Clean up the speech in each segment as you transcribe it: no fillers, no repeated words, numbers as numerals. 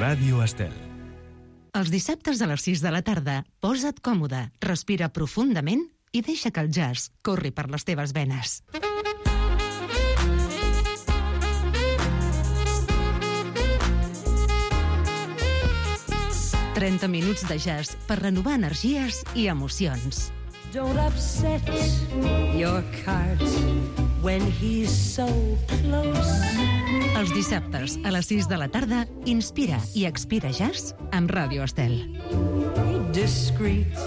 Ràdio Estel. Els dissabtes a les 6 de la tarda, posa't còmode, respira profundament i deixa que el jazz corri per les teves venes. «30 minuts de jazz per renovar energies i emocions». Don't upset your cart when he's so close. Els dissabtes a les 6 de la tarda, inspira i expira jazz amb Ràdio Estel. Discreet.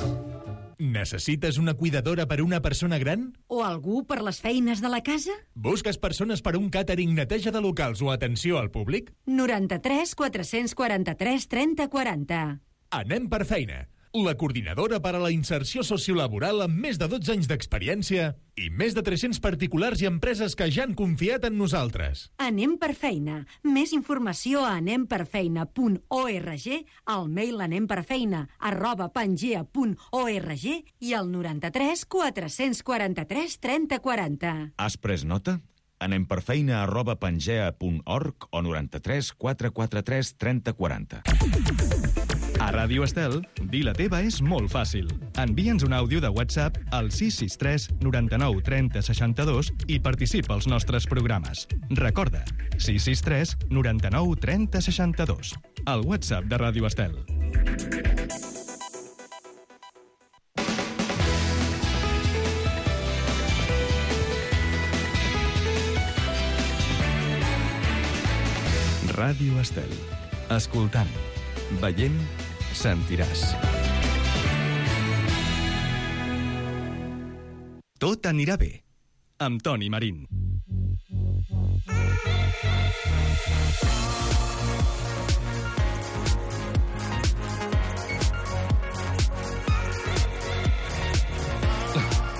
Necessites una cuidadora per una persona gran? O algú per les feines de la casa? Busques persones per un càtering, neteja de locals o atenció al públic? 93 443 30 40. Anem per feina. La coordinadora per a la inserció sociolaboral amb més de 12 anys d'experiència i més de 300 particulars i empreses que ja han confiat en nosaltres. Anem per feina. Més informació a anemperfeina.org, al mail anemperfeina@pangea.org i al 93 443 30 40. Has pres nota? anemperfeina@pangea.org o 93 443 30 40. A Ràdio Estel, dir la teva és molt fàcil. Envia'ns un àudio de WhatsApp al 663 99 30 62 i participa als nostres programes. Recorda, 663 99 30 62. El WhatsApp de Ràdio Estel. Ràdio Estel. Escoltant, veient, sentiràs. Tot anirà bé, amb Toni Marín.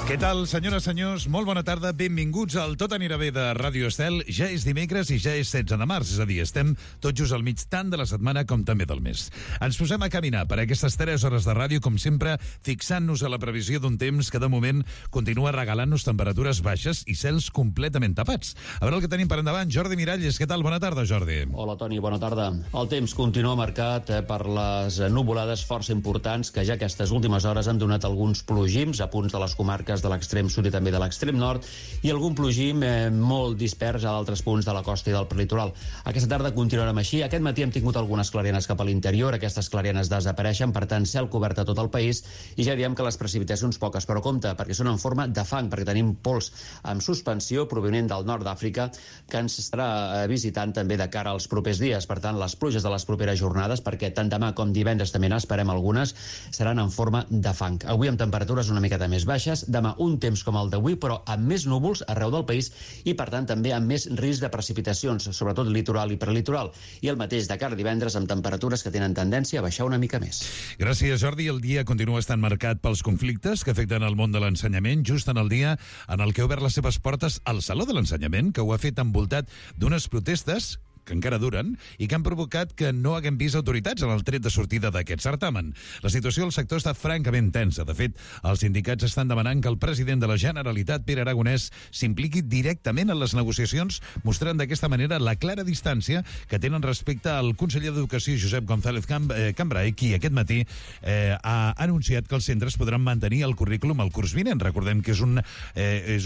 Què tal, senyores, senyors? Molt bona tarda, benvinguts al Tot anirà bé de Ràdio Estel. Ja és dimecres i ja és 16 de març, és a dir, estem tot just al mig tant de la setmana com també del mes. Ens posem a caminar per aquestes 3 hores de ràdio, com sempre, fixant-nos a la previsió d'un temps que de moment continua regalant-nos temperatures baixes i cels completament tapats. A veure el que tenim per endavant. Jordi Miralles, què tal? Bona tarda, Jordi. Hola, Toni, bona tarda. El temps continua marcat per les nuvolades força importants que ja aquestes últimes hores han donat alguns plogims a punts de les comarques de l'extrem sud i també de l'extrem nord i algun plogim molt dispers a d'altres punts de la costa i del prelitoral. Aquesta tarda continuarem així. Aquest matí hem tingut algunes clarianes cap a l'interior. Aquestes clarianes desapareixen, per tant, cel cobert a tot el país i ja diem que les precipitacions poques, però compte, perquè són en forma de fang, perquè tenim pols amb suspensió provenent del nord d'Àfrica que ens estarà visitant també de cara als propers dies. Per tant, les pluges de les properes jornades, perquè tant demà com divendres també n'esperem algunes, seran en forma de fang. Avui amb temperatures una miqueta més baixes, demà un temps com el d'avui, però amb més núvols arreu del país i, per tant, també amb més risc de precipitacions, sobretot litoral i prelitoral. I el mateix de cara a divendres amb temperatures que tenen tendència a baixar una mica més. Gràcies, Jordi. El dia continua estant marcat pels conflictes que afecten el món de l'ensenyament, just en el dia en el que ha obert les seves portes al Saló de l'Ensenyament, que ho ha fet envoltat d'unes protestes que encara duren i que han provocat que no haguem vist autoritats en el tret de sortida d'aquest certamen. La situació del sector està francament tensa. De fet, els sindicats estan demanant que el president de la Generalitat, Pere Aragonès, s'impliqui directament en les negociacions, mostrant d'aquesta manera la clara distància que tenen respecte al conseller d'Educació, Josep González Cambray, qui aquest matí ha anunciat que els centres podran mantenir el currículum el curs vinent. Recordem que és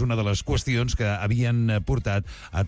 una de les qüestions que havien portat a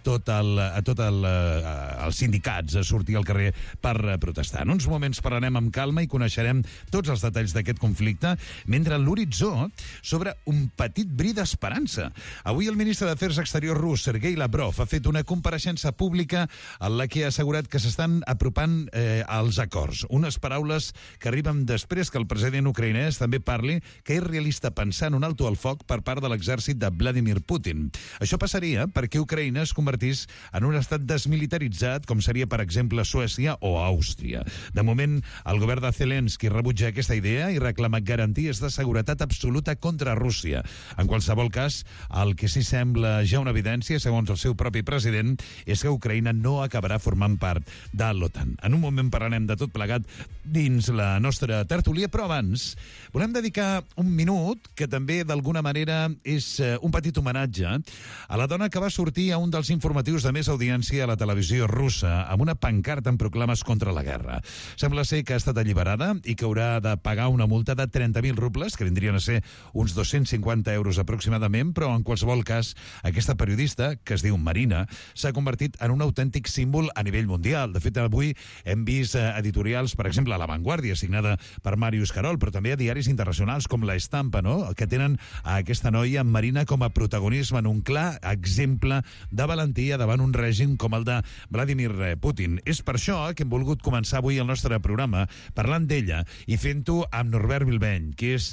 els sindicats a sortir al carrer per protestar. En uns moments parlarem amb calma i coneixerem tots els detalls d'aquest conflicte, mentre a l'horitzó s'obre un petit bri d'esperança. Avui el ministre d'Afers Exteriors rus, Sergei Lavrov, ha fet una compareixença pública en la que ha assegurat que s'estan apropant als acords. Unes paraules que arriben després que el president ucraïnès també parli que és realista pensar en un alto al foc per part de l'exèrcit de Vladimir Putin. Això passaria perquè Ucraïna es convertís en un estat desmilitaritzat com seria, per exemple, Suècia o Àustria. De moment, el govern de Zelensky rebutja aquesta idea i reclama garanties de seguretat absoluta contra Rússia. En qualsevol cas, el que sí sembla ja una evidència, segons el seu propi president, és que Ucraïna no acabarà formant part de l'OTAN. En un moment parlarem de tot plegat dins la nostra tertúlia, però abans volem dedicar un minut, que també d'alguna manera és un petit homenatge, a la dona que va sortir a un dels informatius de més audiència a la televisió russa russa amb una pancarta amb proclames contra la guerra. Sembla ser que ha estat alliberada i que haurà de pagar una multa de 30.000 rubles, que vindrien a ser uns 250 euros aproximadament, però en qualsevol cas, aquesta periodista, que es diu Marina, s'ha convertit en un autèntic símbol a nivell mundial. De fet, avui hem vist editorials, per exemple, a La Vanguardia, signada per Màrius Carol, però també a diaris internacionals com La Estampa, no?, que tenen a aquesta noia Marina com a protagonisme en un clar exemple de valentia davant un règim com el de Vladimir Putin. És per això que hem volgut començar avui el nostre programa parlant d'ella i fent-ho amb Norbert Bilbeny, que és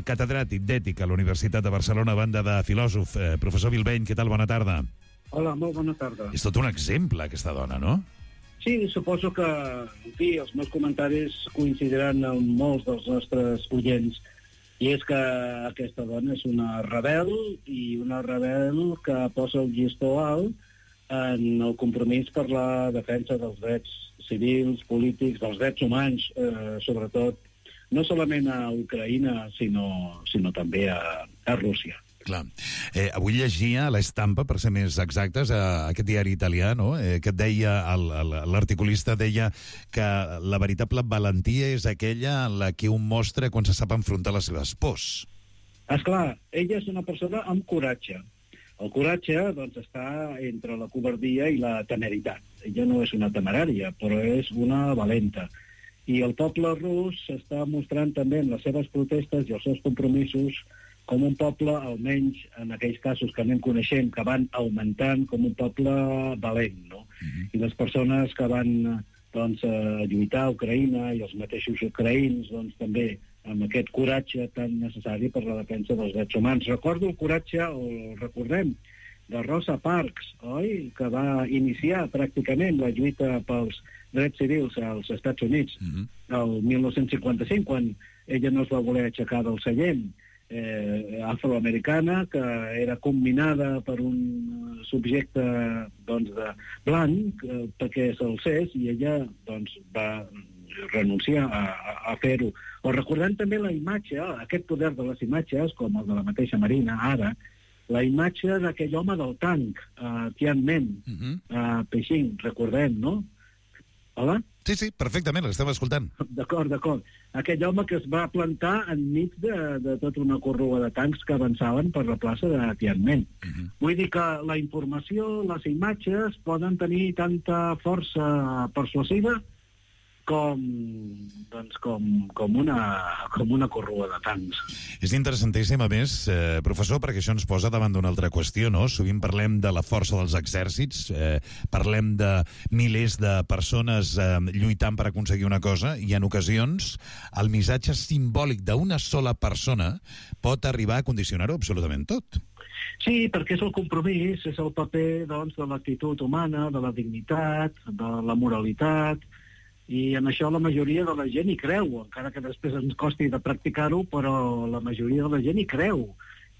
catedràtic d'Ètica a la Universitat de Barcelona, a banda de filòsof. Professor Bilbeny, què tal? Bona tarda. Hola, molt bona tarda. És tot un exemple, aquesta dona, no? Sí, suposo que, en fi, els meus comentaris coincidiran amb molts dels nostres oients. I és que aquesta dona és una rebel, i una rebel que posa el llistó alt en el compromís per la defensa dels drets civils, polítics, dels drets humans, sobretot, no solament a Ucraïna, sinó també a Rússia. Clar. Avui llegia a l'Estampa, per ser més exactes, aquest diari italià, no?, que et deia, l'articulista deia que la veritable valentia és aquella en la que un mostra quan se sap enfrontar les seves pors. Esclar, ella és una persona amb coratge. El coratge, doncs, està entre la covardia i la temeritat. Ella no és una temerària, però és una valenta. I el poble rus s'està mostrant també en les seves protestes i els seus compromisos com un poble, almenys en aquells casos que anem coneixent, que van augmentant, com un poble valent, no? I les persones que van, doncs, lluitar a Ucraïna i els mateixos ucraïns, doncs, també amb aquest coratge tan necessari per la defensa dels drets humans. Recordo el coratge, o recordem, de Rosa Parks, oi?, que va iniciar pràcticament la lluita pels drets civils als Estats Units el 1955, quan ella no es va voler aixecar del seient, afroamericana, que era combinada per un subjecte, doncs, de blanc, perquè s'alcés, i ella, doncs, va renunciar a fer-ho. O recordant també la imatge, aquest poder de les imatges, com el de la mateixa Marina, ara, la imatge d'aquell home del tanc, a Tiananmen, a Beijing, recordem, no? Hola? Sí, perfectament, l'estem escoltant. D'acord. Aquell home que es va plantar enmig de tota una corrua de tancs que avançaven per la plaça de Tiananmen. Vull dir que la informació, les imatges, poden tenir tanta força persuasiva com una corrua de tancs. És interessantíssim, a més, professor, perquè això ens posa davant d'una altra qüestió, no? Sovint parlem de la força dels exèrcits, parlem de milers de persones lluitant per aconseguir una cosa, i en ocasions el missatge simbòlic d'una sola persona pot arribar a condicionar-ho absolutament tot. Sí, perquè és el compromís, és el paper, doncs, de l'actitud humana, de la dignitat, de la moralitat, i en això la majoria de la gent hi creu, encara que després ens costi de practicar-ho, però la majoria de la gent hi creu.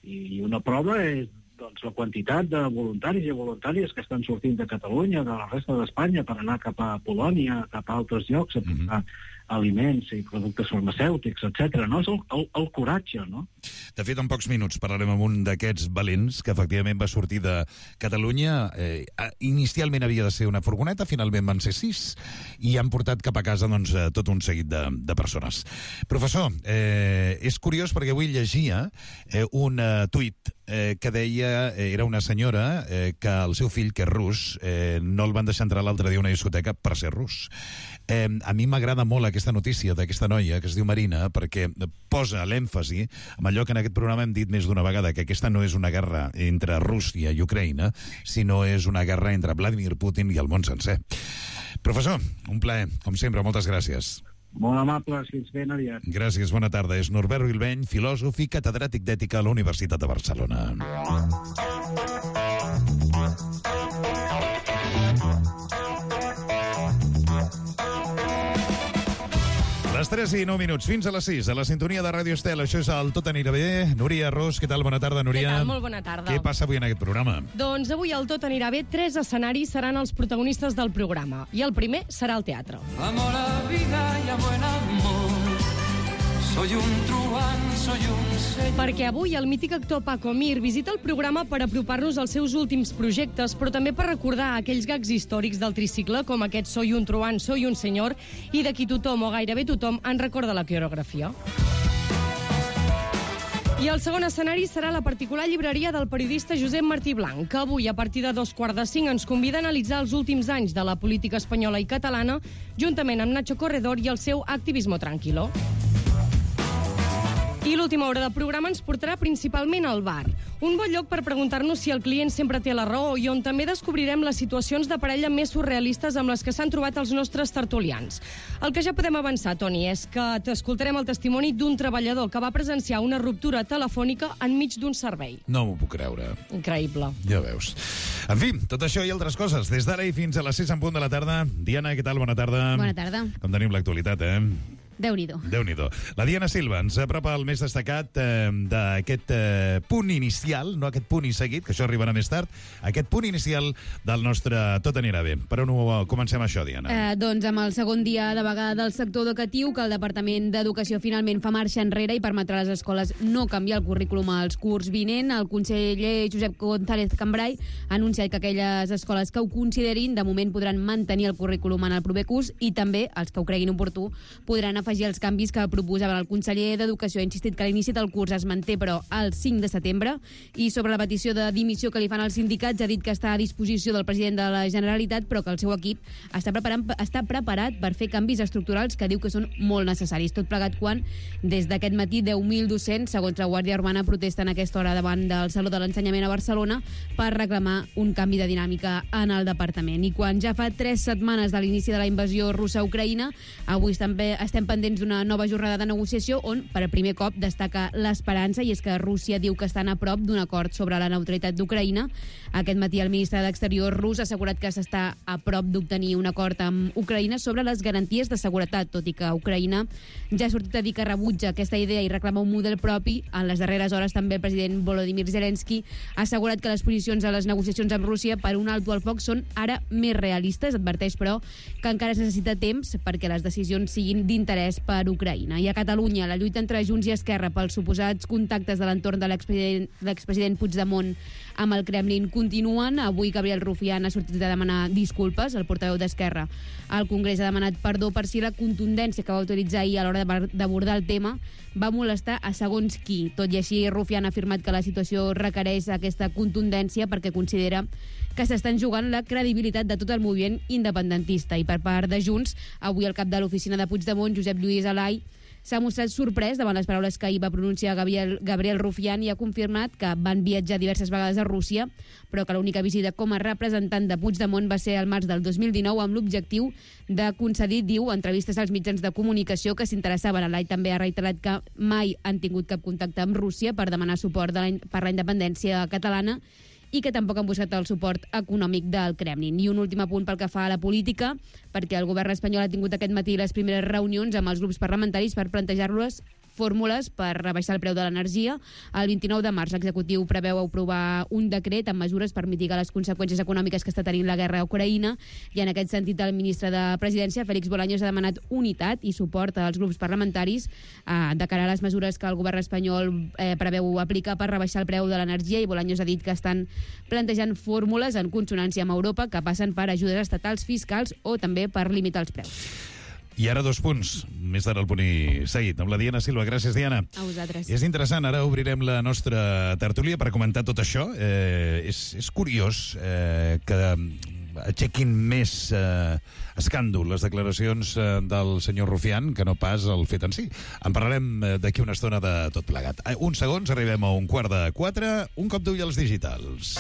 I una prova és, doncs, la quantitat de voluntaris i voluntàries que estan sortint de Catalunya, de la resta d'Espanya, per anar cap a Polònia, cap a altres llocs, a portar aliments i productes farmacèutics, etc. No? És el coratge, no? De fet, en pocs minuts parlarem amb un d'aquests valents que efectivament va sortir de Catalunya. Inicialment havia de ser una furgoneta, finalment van ser 6, i han portat cap a casa, doncs, tot un seguit de persones. Professor, és curiós perquè avui llegia un tuit que deia, era una senyora que el seu fill, que és rus, no el van deixar entrar l'altre dia a una discoteca per ser rus. A mi m'agrada molt aquesta notícia d'aquesta noia, que es diu Marina, perquè posa l'èmfasi en allò que en aquest programa hem dit més d'una vegada, que aquesta no és una guerra entre Rússia i Ucraïna, sinó és una guerra entre Vladimir Putin i el món sencer. Professor, un plaer, com sempre, moltes gràcies. Molt amable, fins ben aviat. Gràcies, bona tarda. És Norbert Bilbeny, filòsof i catedràtic d'Ètica a la Universitat de Barcelona. Les 3 i 9 minuts, fins a les 6, a la sintonia de Ràdio Estel. Això és el Tot anirà bé. Núria Ros, què tal? Bona tarda, Núria. Què tal? Molt bona tarda. Què passa avui en aquest programa? Doncs avui el Tot anirà bé. 3 escenaris seran els protagonistes del programa. I el primer serà el teatre. Amor a vida y a buen amor Soy un truán, soy un señor. Perquè avui el mític actor Paco Mir visita el programa per apropar-nos als seus últims projectes, però també per recordar aquells gags històrics del tricicle, com aquest Soy un truán, soy un senyor, i de qui tothom o gairebé tothom en recorda la coreografia. I el segon escenari serà la particular llibreria del periodista Josep Martí Blanc, que avui, a partir de 4:45, ens convida a analitzar els últims anys de la política espanyola i catalana, juntament amb Nacho Corredor i el seu Activismo Tranquilo. I l'última hora de programa ens portarà principalment al bar, un bon lloc per preguntar-nos si el client sempre té la raó i on també descobrirem les situacions de parella més surrealistes amb les que s'han trobat els nostres tertulians. El que ja podem avançar, Toni, és que t'escoltarem el testimoni d'un treballador que va presenciar una ruptura telefònica enmig d'un servei. No m'ho puc creure. Increïble. Ja veus. En fi, tot això i altres coses, des d'ara i fins a les 6 en punt de la tarda. Diana, què tal? Bona tarda. Bona tarda. Com tenim l'actualitat, Déu-n'hi-do. Déu-n'hi-do. La Diana Silva ens apropa el més destacat d'aquest punt inicial, no aquest punt i seguit, que això arribarà més tard, aquest punt inicial del nostre Tot anirà bé. Per on comencem això, Diana? Doncs amb el segon dia de vaga del sector educatiu, que el Departament d'Educació finalment fa marxa enrere i permetrà a les escoles no canviar el currículum als curs vinent, el conseller Josep González Cambray ha anunciat que aquelles escoles que ho considerin de moment podran mantenir el currículum en el proper curs i també els que ho creguin oportú podran afegir els canvis que proposaven el conseller d'Educació. Ha insistit que l'inici del curs es manté, però el 5 de setembre. I sobre la petició de dimissió que li fan als sindicats, ha dit que està a disposició del president de la Generalitat, però que el seu equip està preparat per fer canvis estructurals que diu que són molt necessaris. Tot plegat quan, des d'aquest matí, 10.000 docents, segons la Guàrdia Urbana, protesten a aquesta hora davant del Saló de l'Ensenyament a Barcelona per reclamar un canvi de dinàmica en el departament. I quan ja fa 3 setmanes de l'inici de la invasió russa a Ucraïna, avui també estem pendents d'una nova jornada de negociació on, per primer cop, destaca l'esperança, i és que Rússia diu que estan a prop d'un acord sobre la neutralitat d'Ucraïna. Aquest matí el ministre d'Exterior rus ha assegurat que s'està a prop d'obtenir un acord amb Ucraïna sobre les garanties de seguretat, tot i que Ucraïna ja ha sortit a dir que rebutja aquesta idea i reclama un model propi. En les darreres hores també el president Volodymyr Zelensky ha assegurat que les posicions a les negociacions amb Rússia per un alto al foc són ara més realistes. Adverteix, però, que encara es necessita temps perquè les decisions siguin d'interès per Ucraïna. I a Catalunya, la lluita entre Junts i Esquerra pels suposats contactes de l'entorn de l'expresident Puigdemont amb el Kremlin continuen. Avui Gabriel Rufián ha sortit a demanar disculpes. El portaveu d'Esquerra al Congrés ha demanat perdó per si la contundència que va utilitzar ahir a l'hora d'abordar el tema va molestar a segons qui. Tot i així, Rufián ha afirmat que la situació requereix aquesta contundència perquè considera que s'estan jugant la credibilitat de tot el moviment independentista. I per part de Junts, avui el cap de l'oficina de Puigdemont, Josep Lluís Alai, s'ha mostrat sorprès davant les paraules que ahir va pronunciar Gabriel Rufián i ha confirmat que van viatjar diverses vegades a Rússia, però que l'única visita com a representant de Puigdemont va ser al març del 2019 amb l'objectiu de concedir, diu, entrevistes als mitjans de comunicació que s'interessaven. Alai també ha reiterat que mai han tingut cap contacte amb Rússia per demanar suport per la independència catalana i que tampoc han buscat el suport econòmic del Kremlin. I un últim apunt pel que fa a la política, perquè el govern espanyol ha tingut aquest matí les primeres reunions amb els grups parlamentaris per plantejar-los fórmules per rebaixar el preu de l'energia. El 29 de març l'executiu preveu aprovar un decret amb mesures per mitigar les conseqüències econòmiques que està tenint la guerra a Ucraïna, i en aquest sentit el ministre de Presidència, Félix Bolaños, ha demanat unitat i suport als grups parlamentaris de cara a les mesures que el govern espanyol preveu aplicar per rebaixar el preu de l'energia, i Bolaños ha dit que estan plantejant fórmules en consonància amb Europa que passen per ajudes estatals, fiscals o també per limitar els preus. I ara 2 punts, més tard el punt i seguit, amb la Diana Silva. Gràcies, Diana. A vosaltres. És interessant, ara obrirem la nostra tertúlia per comentar tot això. És curiós que aixequin més escàndol les declaracions del senyor Rufián que no pas el fet en si. En parlarem d'aquí una estona de tot plegat. Uns segons, arribem a 3:45, un cop d'ull als digitals.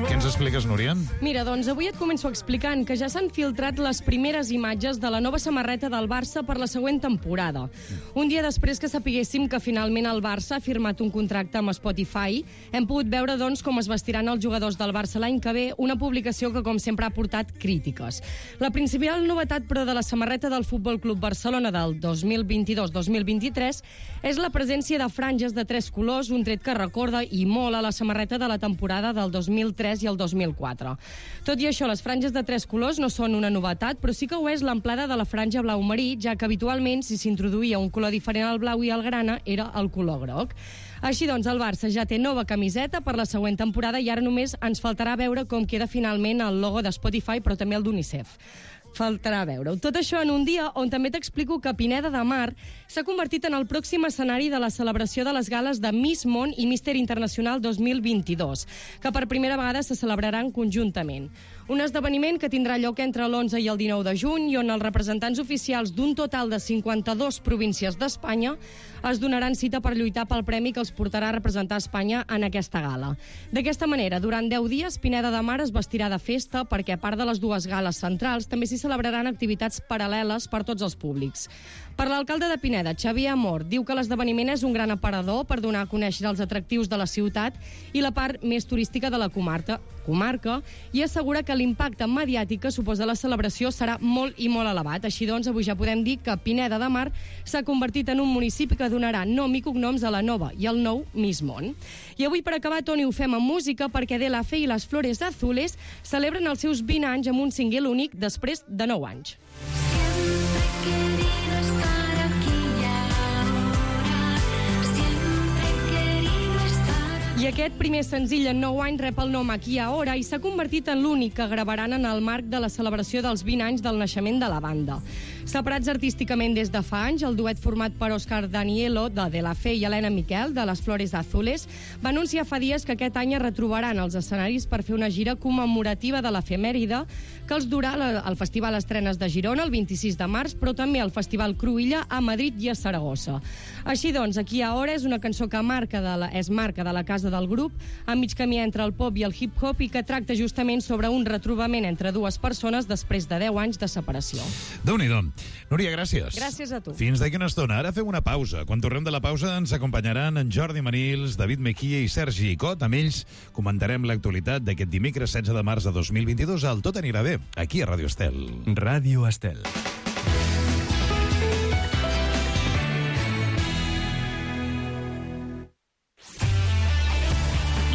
Què ens expliques, Núria? Mira, doncs avui et començo explicant que ja s'han filtrat les primeres imatges de la nova samarreta del Barça per la següent temporada. Un dia després que sapiguéssim que finalment el Barça ha firmat un contracte amb Spotify, hem pogut veure, doncs, com es vestiran els jugadors del Barça l'any que ve, una publicació que, com sempre, ha portat crítiques. La principal novetat, però, de la samarreta del Futbol Club Barcelona del 2022-2023 és la presència de franges de 3 colors, un tret que recorda i molt a la samarreta de la temporada del 2003 i el del 2004. Tot i això, les franges de 3 colors no són una novetat, però sí que ho és l'amplada de la franja blau marí, ja que habitualment, si s'introduïa un color diferent al blau i al grana, era el color groc. Així doncs, el Barça ja té nova camiseta per la següent temporada i ara només ens faltarà veure com queda finalment el logo de Spotify, però també el d'UNICEF. Faltarà veure-ho. Tot això en un dia on també t'explico que Pineda de Mar s'ha convertit en el pròxim escenari de la celebració de les gales de Miss Món i Mister Internacional 2022, que per primera vegada se celebraran conjuntament. Un esdeveniment que tindrà lloc entre l'11 i el 19 de juny i on els representants oficials d'un total de 52 províncies d'Espanya es donaran cita per lluitar pel premi que els portarà a representar Espanya en aquesta gala. D'aquesta manera, durant 10 dies, Pineda de Mar es vestirà de festa perquè, a part de les dues gales centrals, també s'hi celebraran activitats paral·leles per tots els públics. Per l'alcalde de Pineda, Xavier Amor, diu que l'esdeveniment és un gran aparador per donar a conèixer els atractius de la ciutat i la part més turística de la comarca i assegura que l'impacte mediàtic que suposa la celebració serà molt i molt elevat. Així doncs, avui ja podem dir que Pineda de Mar s'ha convertit en un municipi que donarà nom i cognoms a la nova i al nou Miss Món. I avui, per acabar, Toni, ho fem amb música perquè De La Fe i les Flores Azules celebren els seus 20 anys amb un single únic després de 9 anys. I aquest primer senzill en 9 anys rep el nom Aquí i Ahora i s'ha convertit en l'únic que gravaran en el marc de la celebració dels 20 anys del naixement de la banda. Separats artísticament des de fa anys, el duet format per Òscar Danielo, de La Fe, i Helena Miquel, de Les Flores Azules, va anunciar fa dies que aquest any es retrobaran als escenaris per fer una gira commemorativa de l'efemèride que els durà al Festival Estrenes de Girona el 26 de març, però també al Festival Cruïlla a Madrid i a Saragossa. Així doncs, Aquí i Ahora és una cançó que és marca de la casa del grup, a mig camí entre el pop i el hip-hop i que tracta justament sobre un retrobament entre dues persones després de 10 anys de separació. Déu-n'hi-do. Núria, gràcies. Gràcies a tu. Fins d'aquí una estona. Ara fem una pausa. Quan tornem de la pausa ens acompanyaran en Jordi Manils, David Mejía i Sergi Cot. Amb ells comentarem l'actualitat d'aquest dimecres 16 de març de 2022 al Tot anirà bé, aquí a Ràdio Estel. Ràdio Estel.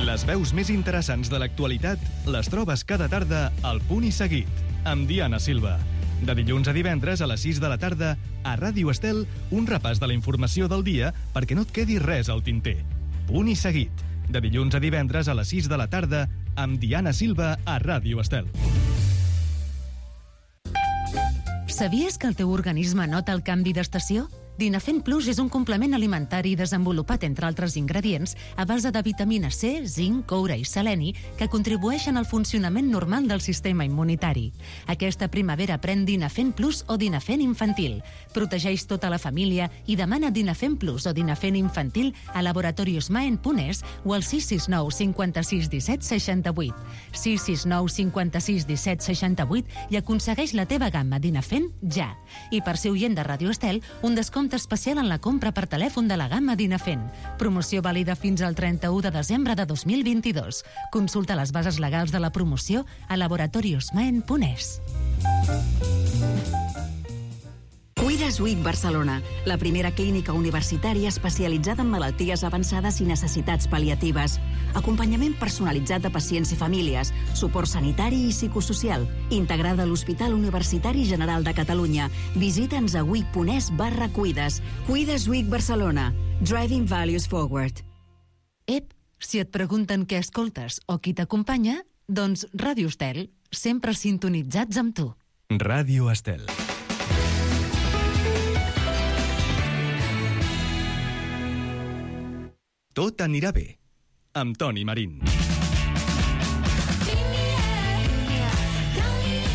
Les veus més interessants de l'actualitat les trobes cada tarda al Punt i Seguit, amb Diana Silva. De dilluns a divendres a les 6 de la tarda, a Ràdio Estel, un repàs de la informació del dia perquè no et quedi res al tinter. Punt i Seguit. De dilluns a divendres a les 6 de la tarda, amb Diana Silva a Ràdio Estel. Sabies que el teu organisme nota el canvi d'estació? Dinafen Plus és un complement alimentari desenvolupat, entre altres ingredients, a base de vitamina C, zinc, coure i seleni, que contribueixen al funcionament normal del sistema immunitari. Aquesta primavera pren Dinafen Plus o Dinafen Infantil. Protegeix tota la família i demana Dinafen Plus o Dinafen Infantil a Laboratorios Maen.es o al 669 56 17 68. 669 56 17 68 i aconsegueix la teva gamma Dinafen ja. I per ser oient de Ràdio Estel, un descompte especial en la compra per telèfon de la gamma Dinafen. Promoció vàlida fins al 31 de desembre de 2022. Consulta les bases legals de la promoció a laboratoriosmaen.es. Cuides Week Barcelona, la primera clínica universitària especialitzada en malalties avançades i necessitats pal·liatives. Acompanyament personalitzat de pacients i famílies, suport sanitari i psicosocial, integrada a l'Hospital Universitari General de Catalunya. Visita'ns a week.es/cuides. Cuides Week Barcelona. Driving Values Forward. Ep, si et pregunten què escoltes o qui t'acompanya, doncs Ràdio Estel, sempre sintonitzats amb tu. Ràdio Estel. Tot anirà bé, amb Toni Marín.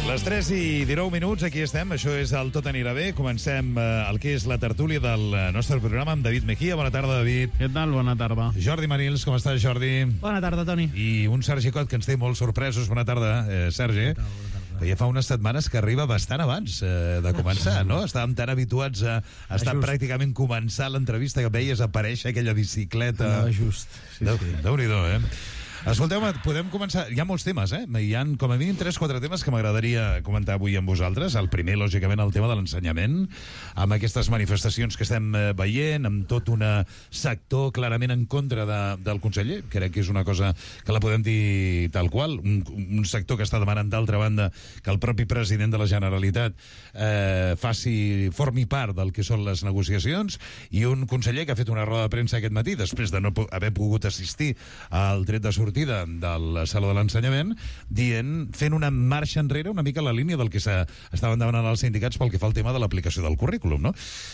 Les 3 i 19 minuts, aquí estem, això és el Tot anirà bé. Comencem el que és la tertúlia del nostre programa amb David Mejía. Bona tarda, David. Què tal? Bona tarda. Jordi Manils, com estàs, Jordi? Bona tarda, Toni. I un Sergi Cot que ens té molt sorpresos. Bona tarda, Sergi. Bona tarda. Ja fa unes setmanes que arriba bastant abans de començar, no? Estàvem tan habituats a estar pràcticament començant l'entrevista que veies aparèixer aquella bicicleta. No, just. Sí, Déu-n'hi-do, eh? Escolteu, podem començar... Hi ha molts temes, Hi ha com a mínim 3-4 temes que m'agradaria comentar avui amb vosaltres. El primer, lògicament, el tema de l'ensenyament, amb aquestes manifestacions que estem veient, amb tot un sector clarament en contra del conseller. Crec que és una cosa que la podem dir tal qual. Un sector que està demanant, d'altra banda, que el propi president de la Generalitat formi part del que són les negociacions, i un conseller que ha fet una roda de premsa aquest matí, després de no haver pogut assistir al tret de sortida del Saló de l'Ensenyament, fent una marxa enrere una mica a la línia del que estaven demanant els sindicats pel que fa al tema de l'aplicació del currículum, no?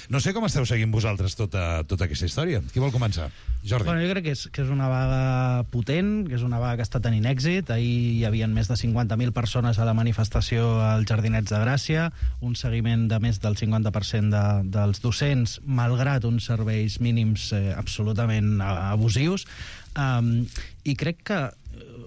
No sé com esteu seguint vosaltres tota aquesta història. Qui vol començar? Jordi. Bueno, jo crec que és una vaga potent, que és una vaga que està tenint èxit. Ahir hi havia més de 50.000 persones a la manifestació als Jardinets de Gràcia, un seguiment de més del 50% dels docents, malgrat uns serveis mínims absolutament abusius. I crec que,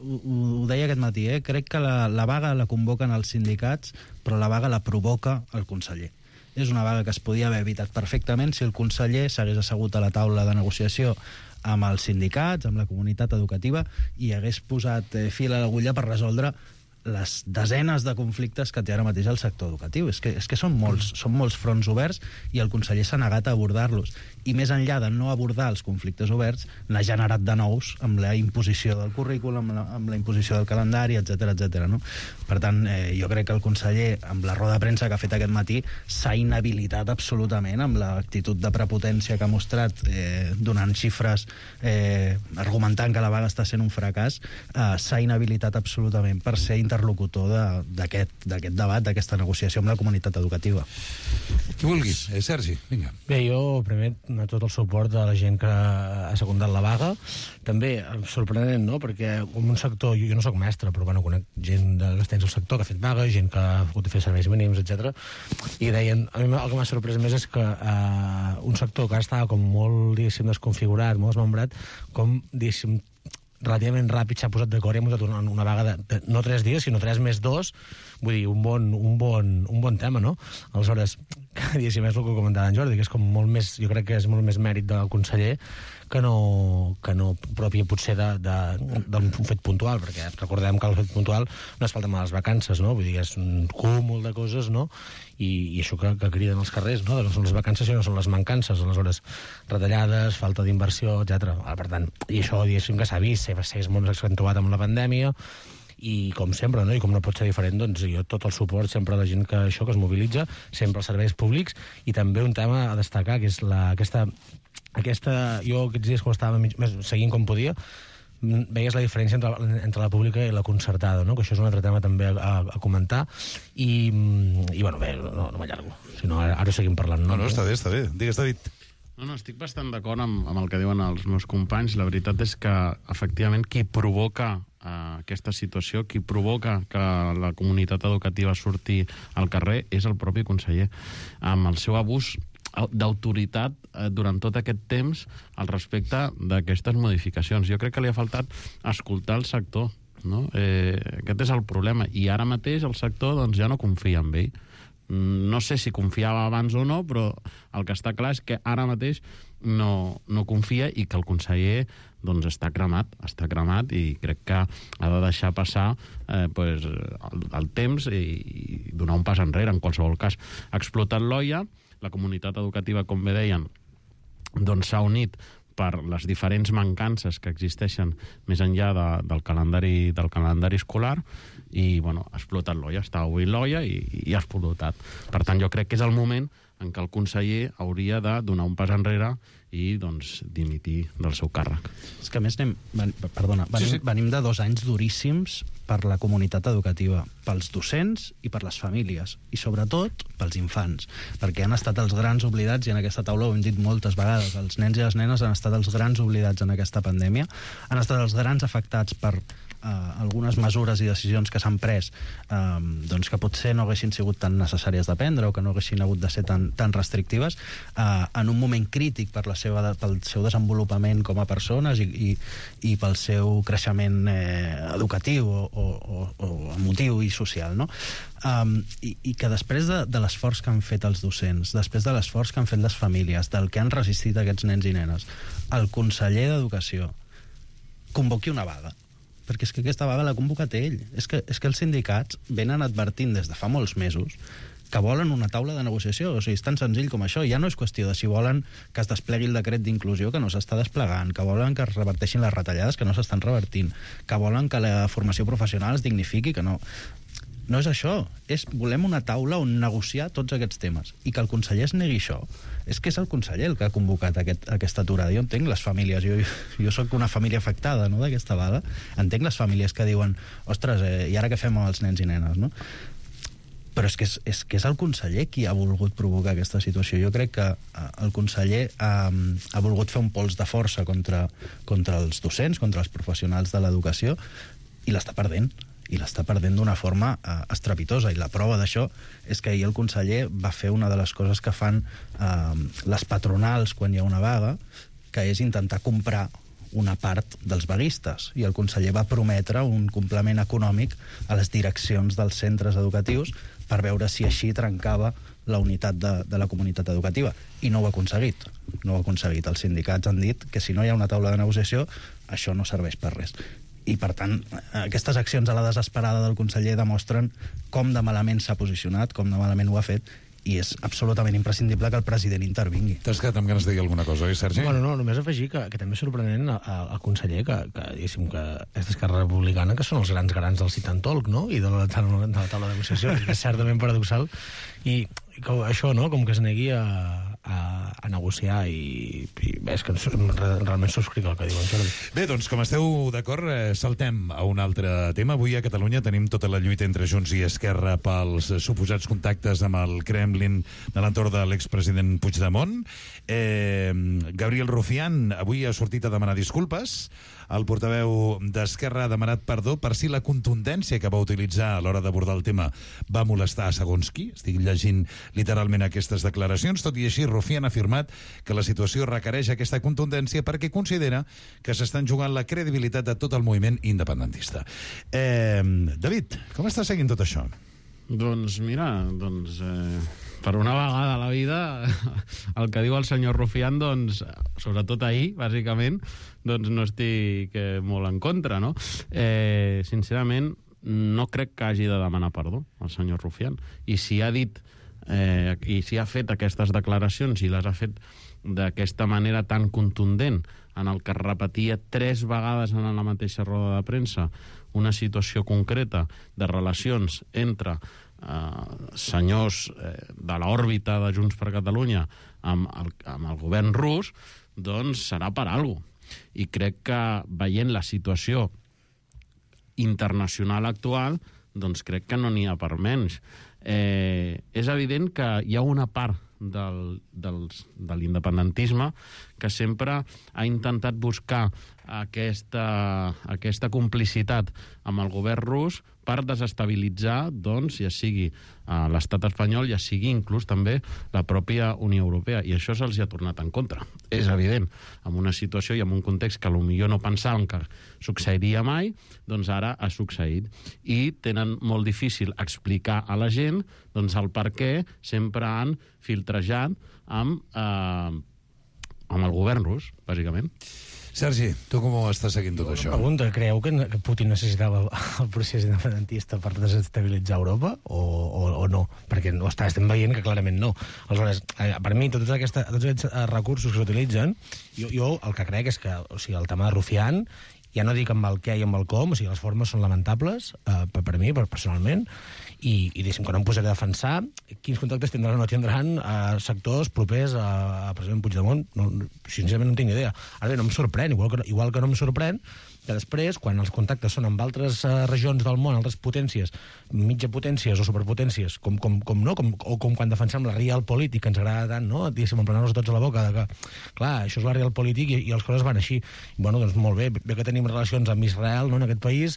ho deia aquest matí, crec que la vaga la convoquen els sindicats, però la vaga la provoca el conseller. És una vaga que es podia haver evitat perfectament si el conseller s'hagués assegut a la taula de negociació amb els sindicats, amb la comunitat educativa, i hagués posat fil a l'agulla per resoldre les desenes de conflictes que té ara mateix el sector educatiu. És que són molts fronts oberts i el conseller s'ha negat a abordar-los. I més enllà de no abordar els conflictes oberts, n'ha generat de nous amb la imposició del currículum, amb la imposició del calendari, etc. No? Per tant, jo crec que el conseller, amb la roda de premsa que ha fet aquest matí, s'ha inhabilitat absolutament amb l'actitud de prepotència que ha mostrat, donant xifres, argumentant que la vaga està sent un fracàs. S'ha inhabilitat absolutament per ser interlocutor d'aquest debat, d'aquesta negociació amb la comunitat educativa. Qui vulgui. Sergi, vinga. Bé, jo primer tot el suport de la gent que ha secundat la vaga. També sorprenent, no?, perquè en un sector, jo no soc mestre, però bueno, conec gent que està dins el sector que ha fet vaga, gent que ha hagut de fer serveis mínims, etc. I deien, a mi el que m'ha sorprès més és que un sector que estava com molt, diguéssim, desconfigurat, molt desmembrat, com, diguéssim, relativament ràpid s'ha posat d'acord i ha muntat una vaga de no 3 dies, sinó 3 més 2, vull dir, un bon tema, no? Aleshores, diguéssim, és el que comentava en Jordi, que és com molt més, jo crec que és molt més mèrit del conseller que no propi potser d'un fet puntual, perquè recordem que el fet puntual no és falta de les vacances, no? Vull dir, és un cúmul de coses, no? I això que criden als carrers, no? No són les vacances, sinó són les mancances, aleshores retallades, falta d'inversió, etc. Per tant, i això, diguéssim, que s'ha vist, s'ha molt accentuat amb la pandèmia, i com sempre, no? I com no pot ser diferent, doncs jo tot el suport sempre a la gent que es mobilitza, sempre als serveis públics, i també un tema a destacar, que és jo aquests dies, quan estava seguint com podia, veies la diferència entre la pública i la concertada, no? Que això és un altre tema també a comentar, i bueno, bé, no m'allargo, si no ara seguim parlant. No, està bé. Digues, David. No, estic bastant d'acord amb el que diuen els meus companys. La veritat és que, efectivament, qui provoca aquesta situació, qui provoca que la comunitat educativa surti al carrer és el propi conseller, amb el seu abús d'autoritat durant tot aquest temps al respecte d'aquestes modificacions. Jo crec que li ha faltat escoltar el sector, no? Aquest és el problema. I ara mateix el sector doncs, ja no confia en ell. No sé si confiava abans o no, però el que està clar és que ara mateix no confia, i que el conseller doncs, està cremat i crec que ha de deixar passar el temps i donar un pas enrere en qualsevol cas. Ha explotat l'olla, la comunitat educativa, com bé deien, doncs s'ha unit per les diferents mancances que existeixen més enllà del calendari escolar, i bueno, ha explotat l'olla, està avui l'olla i ha explotat. Per tant, jo crec que és el moment en què el conseller hauria de donar un pas enrere i doncs dimitir del seu càrrec. És que a més venim de 2 anys duríssims per la comunitat educativa, pels docents i per les famílies, i sobretot pels infants, perquè han estat els grans oblidats, i en aquesta taula ho hem dit moltes vegades, els nens i les nenes han estat els grans oblidats en aquesta pandèmia, han estat els grans afectats per algunes mesures i decisions que s'han pres doncs que potser no haguessin sigut tan necessàries de prendre o que no haguessin hagut de ser tan restrictives en un moment crític pel seu desenvolupament com a persones i pel seu creixement educatiu o emotiu i social, no? I que després de l'esforç que han fet els docents, després de l'esforç que han fet les famílies, del que han resistit aquests nens i nenes, el conseller d'Educació convoqui una vaga perquè és que aquesta vaga l'ha convocat ell. És que els sindicats venen advertint des de fa molts mesos que volen una taula de negociació. O sigui, és tan senzill com això. Ja no és qüestió de si volen que es desplegui el decret d'inclusió que no s'està desplegant, que volen que es reverteixin les retallades que no s'estan revertint, que volen que la formació professional es dignifiqui, que no... No és això. Volem una taula on negociar tots aquests temes. I que el conseller es negui això, és que és el conseller el que ha convocat aquesta aturada. Jo entenc les famílies, jo soc una família afectada, no, d'aquesta vaga, entenc les famílies que diuen ostres, i ara què fem amb els nens i nenes, no? Però és que és el conseller qui ha volgut provocar aquesta situació. Jo crec que el conseller ha volgut fer un pols de força contra els docents, contra els professionals de l'educació, i l'està perdent. I l'està perdent d'una forma estrepitosa. I la prova d'això és que ahir el conseller va fer una de les coses que fan les patronals quan hi ha una vaga, que és intentar comprar una part dels vaguistes. I el conseller va prometre un complement econòmic a les direccions dels centres educatius per veure si així trencava la unitat de la comunitat educativa. I no ho ha aconseguit. No ho ha aconseguit. Els sindicats han dit que si no hi ha una taula de negociació, això no serveix per res. I, per tant, aquestes accions a la desesperada del conseller demostren com de malament s'ha posicionat, com de malament ho ha fet, i és absolutament imprescindible que el president intervingui. T'has quedat amb ganes de dir alguna cosa, oi, Sergi? Bueno, no, només afegir que també és sorprenent el conseller que diguéssim, que és d'Esquerra Republicana, que són els grans garants del sit and talk, no?, i de la taula de negociació, que és certament paradoxal, i això, no?, com que es negui a negociar i és que realment subscric el que diuen. Bé, doncs, com esteu d'acord, saltem a un altre tema. Avui a Catalunya tenim tota la lluita entre Junts i Esquerra pels suposats contactes amb el Kremlin de l'entorn de l'expresident Puigdemont. Gabriel Rufián avui ha sortit a demanar disculpes. El portaveu d'Esquerra ha demanat perdó per si la contundència que va utilitzar a l'hora d'abordar el tema va molestar a segons qui. Estic llegint literalment aquestes declaracions. Tot i així, Rufián ha afirmat que la situació requereix aquesta contundència perquè considera que s'estan jugant la credibilitat de tot el moviment independentista. David, com estàs seguint tot això? Doncs mira, per una vegada a la vida, el que diu el senyor Rufián, doncs, sobretot ahir, bàsicament, doncs no estic molt en contra, no? Sincerament, no crec que hagi de demanar perdó el senyor Rufián. I si ha dit, i si ha fet aquestes declaracions i les ha fet d'aquesta manera tan contundent, en el que es repetia 3 vegades en la mateixa roda de premsa una situació concreta de relacions entre senyors de l'òrbita de Junts per Catalunya amb el govern rus, doncs serà per alguna cosa. I crec que veient la situació internacional actual, doncs crec que no n'hi ha per menys. És evident que hi ha una part de l'independentisme que sempre ha intentat buscar aquesta complicitat amb el govern rus per desestabilitzar, doncs, ja sigui l'estat espanyol, ja sigui inclús també la pròpia Unió Europea. I això se'ls ha tornat en contra. És evident, en una situació i en un context que potser no pensàvem que succeiria mai, doncs ara ha succeït. I tenen molt difícil explicar a la gent doncs, el per què sempre han filtrejat amb el govern rus, bàsicament. Sergi, tu com ho estàs seguint tot això? Pregunta, creieu que Putin necessitava el procés independentista per desestabilitzar Europa o no? Perquè estem veient que clarament no. Aleshores, per mi, tots aquests recursos que s'utilitzen, jo el que crec és que el tema de Rufián, ja no dic amb el què i amb el com, les formes són lamentables, per mi, personalment, i diguéssim que no em posaré a defensar quins contactes tindran o no tindran sectors propers a president Puigdemont. Sincerament no tinc idea. Ara bé, no em sorprèn, igual que no em sorprèn que després, quan els contactes són amb altres regions del món, altres potències, mitjapotències o superpotències, com quan defensem la realpolitik, que ens agrada tant, no? Diguéssim, emplenar-nos tots a la boca, que, clar, això és la realpolitik i les coses van així. Bueno, doncs molt bé que tenim relacions amb Israel, no?, en aquest país,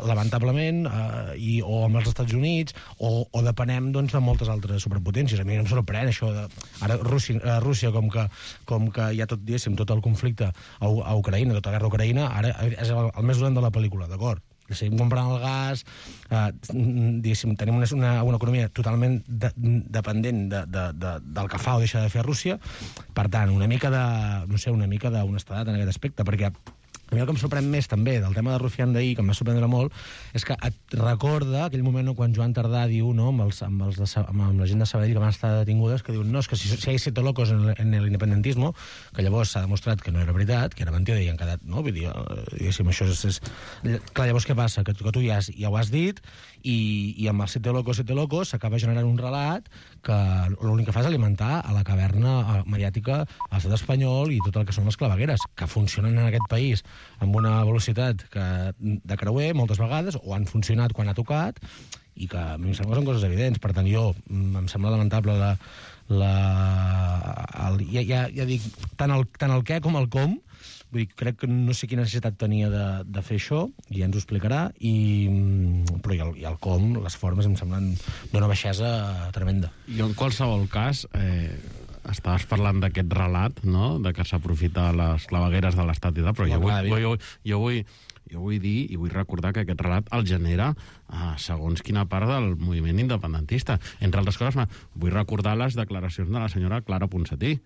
lamentablement, o amb els Estats Units, o depenem, doncs, de moltes altres superpotències. A mi no em sorprèn això de... Ara, Rússia, com que hi ha tot, diguéssim, tot el conflicte a Ucraïna, tota la guerra a Ucraïna, ara és el més dolent de la pel·lícula, d'acord? Seguim comprant el gas, diguéssim, tenim una economia totalment dependent del que fa o deixa de fer Rússia. Per tant, una mica d'honestedat en aquest aspecte, perquè A mi el que em sorprèn més, també, del tema de Rufián d'ahir, que em va sorprendre molt, és que et recorda aquell moment quan Joan Tardà diu, no, amb la gent de Sabadell que van estar detingudes, que diuen, no, és que si hay 7 locos en el independentismo, que llavors s'ha demostrat que no era veritat, que era mentida i han quedat, no? Vull dir, diguéssim, això és... Clar, llavors què passa? Que tu ja ho has dit i amb els 7 locos s'acaba generant un relat que l'únic que fa és alimentar a la caverna mediàtica a l'estat espanyol i tot el que són les clavegueres, que funcionen en aquest país amb una velocitat de creuer moltes vegades, o han funcionat quan ha tocat, i que a mi em sembla que són coses evidents. Per tant, em sembla lamentable ja dic, tant el què com el com. Vull dir, crec que no sé quina necessitat tenia de fer això, i ja ens ho explicarà, però i el com, les formes, em semblen d'una baixesa tremenda. Jo, en qualsevol cas, estaves parlant d'aquest relat, no?, de que s'aprofita les clavegueres de l'Estat i tal, però jo vull dir i vull recordar que aquest relat el genera segons quina part del moviment independentista. Entre altres coses, vull recordar les declaracions de la senyora Clara Ponsatí,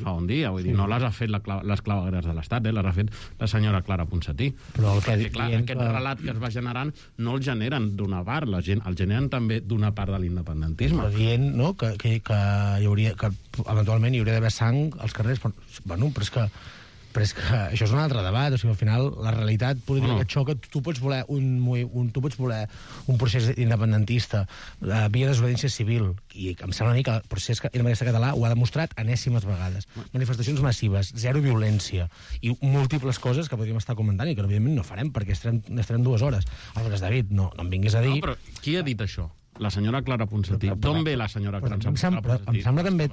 fa un dia, vull dir, no les ha fet les clavegueres de l'Estat, les ha fet la senyora Clara Ponsatí. Però aquest relat que es va generant no el generen d'una part, el generen també d'una part de l'independentisme. Però dient, no?, que eventualment hi hauria d'haver sang als carrers, bueno, però és que això és un altre debat. O sigui, al final, la realitat política que xoca, tu pots voler un procés independentista via desobediència civil, i em sembla a mi que el procés independentista català ho ha demostrat enèsimes vegades. Manifestacions massives, zero violència, i múltiples coses que podríem estar comentant i que, evidentment, no farem, perquè estarem 2 hores. Aleshores, David, no em vinguis a dir... No, però qui ha dit això? La senyora Clara Ponsatí. D'on ve la senyora Clara Ponsatí? Em sembla també...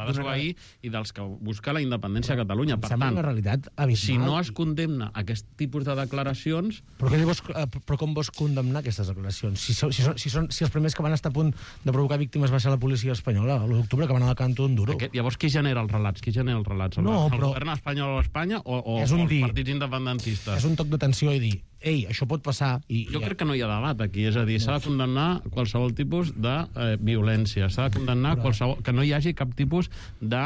I dels que busca la independència a Catalunya. Per tant, una realitat abismal. Si no es condemna aquest tipus de declaracions... Però com vols condemnar aquestes declaracions? Si els primers que van estar a punt de provocar víctimes va ser la policia espanyola, l'1 d'octubre, que van anar al Cantó d'Onduro. Llavors, qui genera els relats? El govern espanyol o Espanya o els partits independentistes? És un toc d'atenció i dir, ei, això pot passar... Jo crec que no hi ha debat aquí, és a dir, s'ha de condemnar qualsevol tipus de violència, s'ha de condemnar que no hi hagi cap tipus de...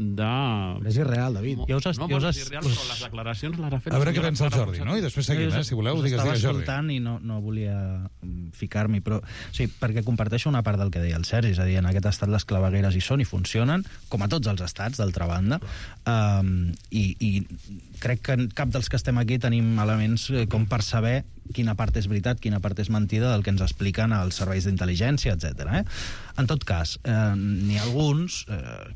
Però és irreal, David. No, és irreal, però les declaracions les ha fet... A veure què pensa el Jordi, no? I després seguim, si voleu, digues, Jordi. Estava escoltant i no volia ficar-m'hi, però sí, perquè comparteixo una part del que deia el Sergi, és a dir, en aquest estat les clavegueres hi són i funcionen, com a tots els estats, d'altra banda, i crec que cap dels que estem aquí tenim elements com per saber quina part és veritat, quina part és mentida del que ens expliquen els serveis d'intel·ligència, etc. En tot cas, n'hi ha alguns,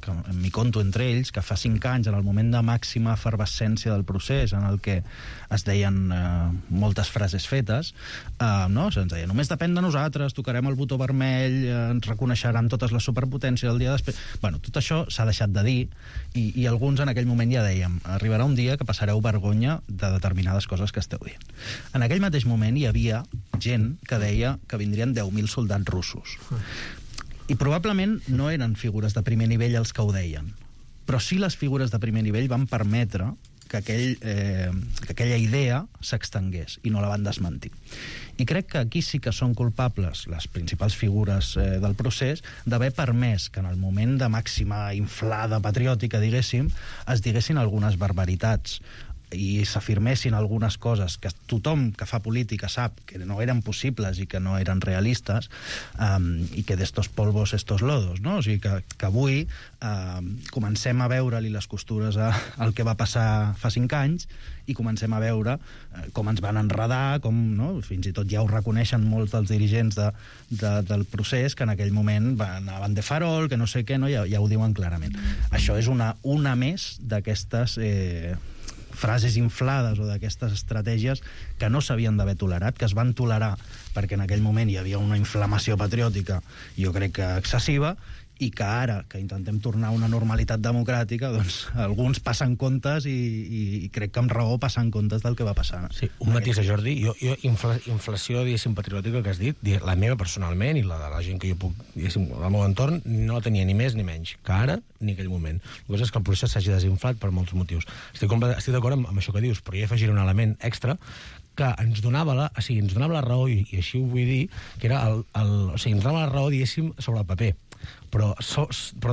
que m'hi conto entre ells, que fa 5 anys, en el moment de màxima efervescència del procés, en el que es deien moltes frases fetes, no? Se'ns deia, només depèn de nosaltres, tocarem el botó vermell, ens reconeixeran totes les superpotències el dia després... Bueno, tot això s'ha deixat de dir, i alguns en aquell moment ja dèiem, arribarà un dia que passareu vergonya de determinades coses que esteu dient. En aquell mateix moment hi havia gent que deia que vindrien 10.000 soldats russos. I probablement no eren figures de primer nivell els que ho deien, però sí les figures de primer nivell van permetre que aquella idea s'extengués i no la van desmentir. I crec que aquí sí que són culpables les principals figures del procés d'haver permès que en el moment de màxima inflada patriòtica, diguéssim, es diguessin algunes barbaritats i s'afirmessin algunes coses que tothom que fa política sap que no eren possibles i que no eren realistes, i que d'estos polvos estos lodos, no? O sigui que avui comencem a veure-li les costures al que va passar fa 5 anys i comencem a veure com ens van enredar, com, no? Fins i tot ja ho reconeixen molts dels dirigents del procés, que en aquell moment anaven de farol, que no sé què, no? Ja ho diuen clarament. Això és una més d'aquestes frases inflades o d'aquestes estratègies que no s'havien d'haver tolerat, que es van tolerar perquè en aquell moment hi havia una inflamació patriòtica, jo crec que excessiva, i que ara, que intentem tornar a una normalitat democràtica, doncs alguns passen comptes i crec que amb raó passen comptes del que va passar. Sí, un matís, Jordi. Jo inflació, diguéssim, patriòtica que has dit, la meva personalment i la de la gent que jo puc, diguéssim, al meu entorn, no la tenia ni més ni menys que ara ni aquell moment. La cosa és que el procés s'hagi desinflat per molts motius. Estic d'acord amb això que dius, però jo afegiré un element extra que ens donava la raó, i així ho vull dir, que era ens donava la raó, diguéssim, sobre el paper. però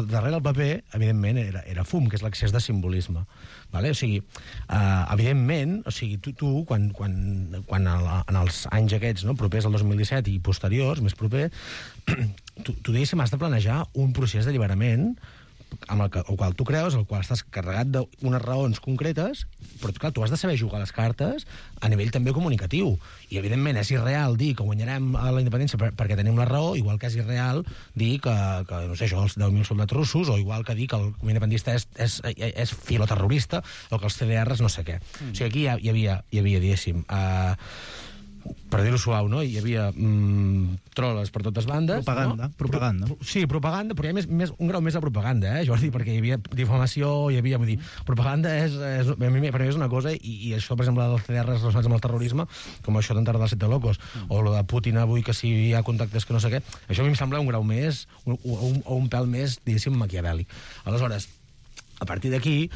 darrere el paper, evidentment, era fum, que és l'excés de simbolisme. Vale? O sigui, evidentment, tu quan en els anys aquests, no, propers al 2017 i posteriors, més proper, tu diguéssim, has de planejar un procés d'alliberament amb el qual tu creus, el qual estàs carregat d'unes raons concretes, però clar, tu has de saber jugar les cartes a nivell també comunicatiu. I, evidentment, és irreal dir que guanyarem a la independència perquè tenim la raó, igual que és irreal dir que no sé, això, els 10.000 soldats russos, o igual que dir que el independentista és filoterrorista, o que els CDRs no sé què. O sigui, aquí hi havia diguéssim, per dir-ho suau, no? Hi havia troles per totes bandes. Propaganda. No? Propaganda. Sí, propaganda, però hi ha un grau més de propaganda, Jordi, perquè hi havia difamació, vull dir, propaganda per mi és una cosa, i això, per exemple, dels CDRs relacionats amb el terrorisme, com això d'entrar dels 7 locos, o lo de Putin avui, que si hi ha contactes que no sé què, això a mi em sembla un grau més, o un pèl més, diguéssim, maquiavèlic. Aleshores, a partir d'aquí,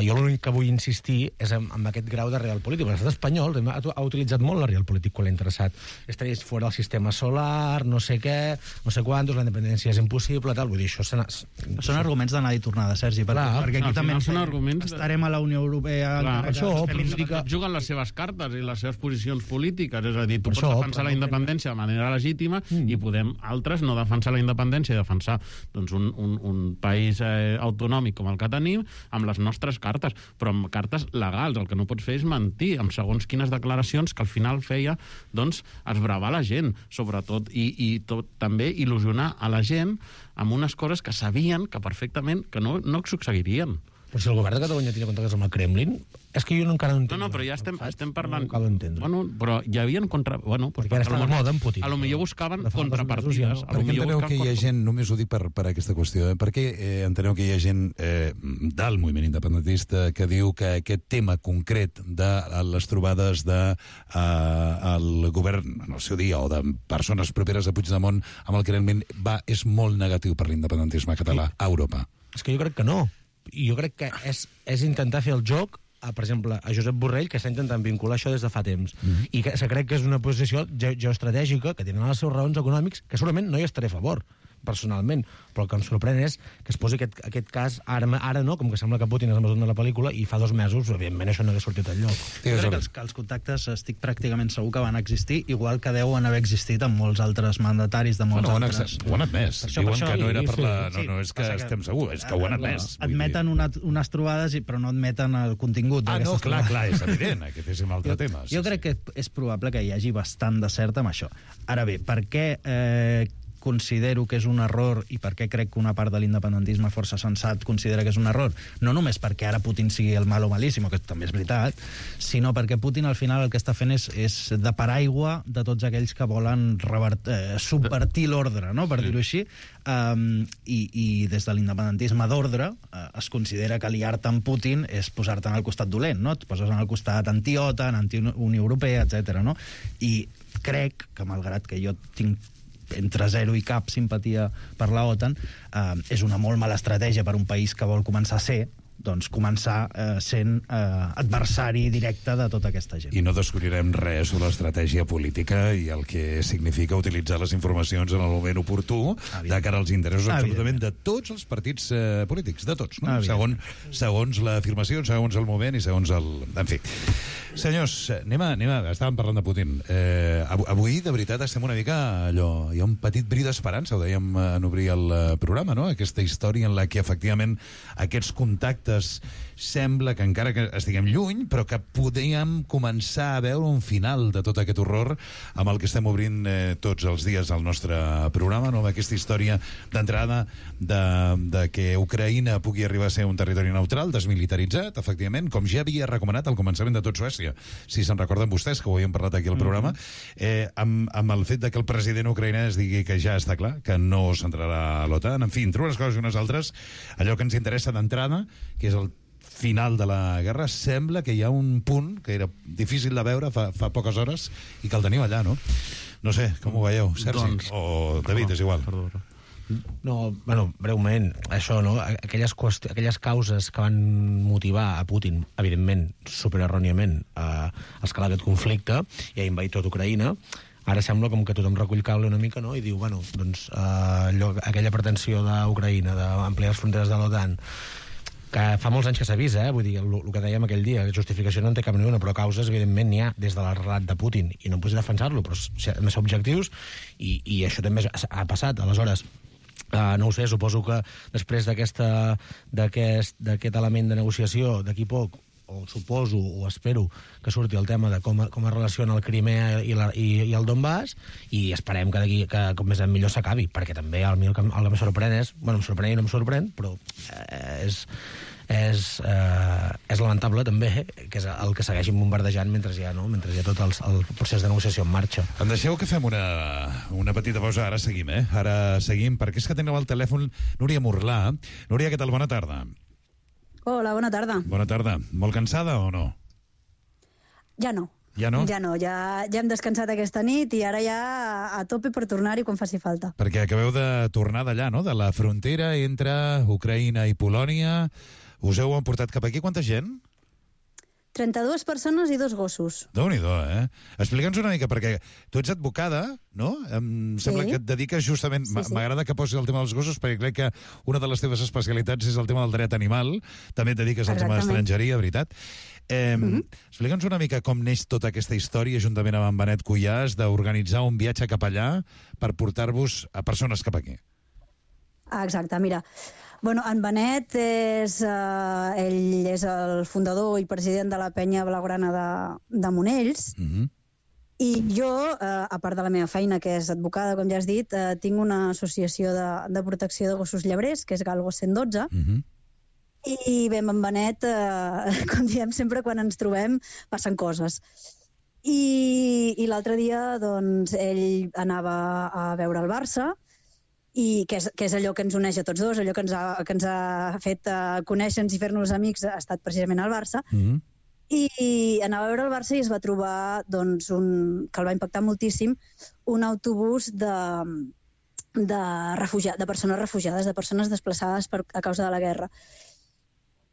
jo l'únic que vull insistir és en aquest grau de real polític. L'estat espanyol ha utilitzat molt la real polític quan l'ha interessat. Estaries fora del sistema solar, no sé què, no sé quantos, la independència és impossible, tal. Vull dir, això són arguments d'anar i tornada, Sergi, perquè aquí també estarem a la Unió Europea... Això, juguen les seves cartes i les seves posicions polítiques, és a dir, tu pots defensar la independència de manera legítima i podem, altres, no defensar la independència i defensar un país autonòmic com el que tenim, amb les nostres cartes, però amb cartes legals. El que no pots fer és mentir amb segons quines declaracions que al final feia, doncs, esbravar la gent, sobretot, i també il·lusionar a la gent amb unes coses que sabien que perfectament que no succeirien. Però si el govern de Catalunya tenia contactes amb el Kremlin, és que jo encara no entenc. No, però ja estem parlant... No cal entendre. Bueno, però hi havia perquè ara està de moda en Putin. A lo millor buscaven contrapartides. Per què enteneu que hi ha gent, només ho dic per aquesta qüestió, per què enteneu que hi ha gent del moviment independentista que diu que aquest tema concret de les trobades del govern en el seu dia, o de persones properes a Puigdemont amb el Kremlin, és molt negatiu per l'independentisme català a Europa? És que jo crec que no. Jo crec que és intentar fer el joc per exemple, a Josep Borrell, que està intentant vincular això des de fa temps. I que crec que és una posició geoestratègica que tenen les seves raons econòmics, que segurament no hi estaré a favor, personalment, però el que em sorprèn és que es posi aquest cas ara no, com que sembla que Putin és el mesut de la pel·lícula, i fa 2 mesos, evidentment, això no hauria sortit enlloc. Jo crec que els contactes estic pràcticament segur que van existir, igual que deuen haver existit amb molts altres mandataris de molts altres... Ho han admès. Diuen que no era per la... No és que estem segurs, és que ho han admès. Admeten unes trobades, però no admeten el contingut d'aquestes trobades. Clar, és evident, aquest és un altre tema. Jo crec que és probable que hi hagi bastant de cert amb això. Ara bé, per què considero que és un error i per què crec que una part de l'independentisme força sensat considera que és un error? No només perquè ara Putin sigui el malo malíssimo, que també és veritat, sinó perquè Putin al final el que està fent és de paraigua de tots aquells que volen subvertir l'ordre, no? Per dir-ho així, i des de l'independentisme d'ordre es considera que aliar-te amb Putin és posar-te en el costat dolent, no? Et poses en el costat anti-OTAN, anti-Unió Europea, etc. No? I crec que, malgrat que jo tinc entre 0 i cap simpatia per la OTAN, és una molt mala estratègia per un país que vol començar a ser, doncs començar sent adversari directe de tota aquesta gent. I no descobrirem res sobre l'estratègia política i el que significa utilitzar les informacions en el moment oportú de cara als interessos absolutament de tots els partits polítics, de tots, no? Segons l'afirmació, segons el moment i segons el... En fi. Senyors, estàvem parlant de Putin. Avui, de veritat, estem una mica allò... Hi ha un petit bri d'esperança, ho dèiem en obrir el programa, no? Aquesta història en la que, efectivament, aquests contactes sembla que encara que estiguem lluny, però que podríem començar a veure un final de tot aquest horror amb el que estem obrint tots els dies al nostre programa, no? Amb aquesta història d'entrada de que Ucraïna pugui arribar a ser un territori neutral, desmilitaritzat, efectivament, com ja havia recomanat al començament de tot Suècia, si se'n recorden vostès, que ho havíem parlat aquí al programa, amb el fet de que el president ucraïnès digui que ja està clar, que no s'entrarà a l'OTAN, en fi, entre unes coses i unes altres, allò que ens interessa d'entrada, que és el final de la guerra, sembla que hi ha un punt que era difícil de veure fa poques hores i que el tenim allà, no? No sé, com ho veieu, Sergi? O David, és igual. No, bueno, breument, això, no? Aquelles causes que van motivar a Putin, evidentment, supererròniament, a escalar aquest conflicte i a invadir tot Ucraïna, Ara sembla com que tothom recull cable una mica, no? I diu, bueno, doncs aquella pretensió d'Ucraïna d'ampliar les fronteres de l'OTAN, que fa molts anys que s'avisa, vull dir, el que dèiem aquell dia, justificació no en té cap ni una, però causes, evidentment, n'hi ha des de l'arrelat de Putin, i no em pots defensar-lo, però hem de ser objectius, i això també ha passat. Aleshores, no ho sé, suposo que després d'aquest element de negociació, d'aquí poc, o suposo, o espero, que surti el tema de com es relaciona el Crimea i el Donbass, i esperem que com més millor s'acabi, perquè també el que em sorprèn és... Bueno, em sorprèn i no em sorprèn, però és lamentable també que és el que segueixin bombardejant mentre hi ha tot el procés de negociació en marxa. Em deixeu que fem una petita pausa, ara seguim, Ara seguim, perquè és que tenim al telèfon Núria Murlà. Núria, què tal? Bona tarda. Hola, bona tarda. Bona tarda. Molt cansada o no? Ja no. Ja no? Ja no, ja hem descansat aquesta nit i ara ja a tope per tornar-hi quan faci falta. Perquè acabeu de tornar d'allà, no? De la frontera entre Ucraïna i Polònia. Us heu emportat cap aquí? Quanta gent? 32 persones i 2 gossos. Déu-n'hi-do, Explica'ns una mica, perquè tu ets advocada, no? Em sembla que et dediques justament... M'agrada que posis el tema dels gossos, perquè crec que una de les teves especialitats és el tema del dret animal. També et dediques al tema d'estrangeria, veritat. Explica'ns una mica com neix tota aquesta història, juntament amb en Benet Cuyàs, d'organitzar un viatge cap allà per portar-vos a persones cap aquí. Exacte, mira... Bueno, en Benet ell és el fundador i president de la penya blaugrana de Monells, i jo, a part de la meva feina, que és advocada, com ja has dit, tinc una associació de protecció de gossos llebrers, que és Galgo 112, i bé, amb en Benet, com diem sempre, quan ens trobem, passen coses. I l'altre dia, doncs, ell anava a veure el Barça, i que és allò que ens uneix a tots dos, allò que ens ha fet conèixer-nos i fer-nos amics, ha estat precisament el Barça, i anava a veure el Barça i es va trobar, doncs, que el va impactar moltíssim, un autobús de persones refugiades, de persones desplaçades a causa de la guerra.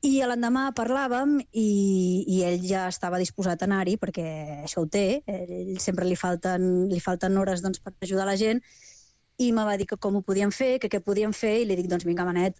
I l'endemà parlàvem i ell ja estava disposat a anar-hi, perquè això ho té, ell sempre li falten hores, doncs, per ajudar la gent, i me va dir que com ho podíem fer, que què podíem fer, i li dic, doncs vinga, Benet,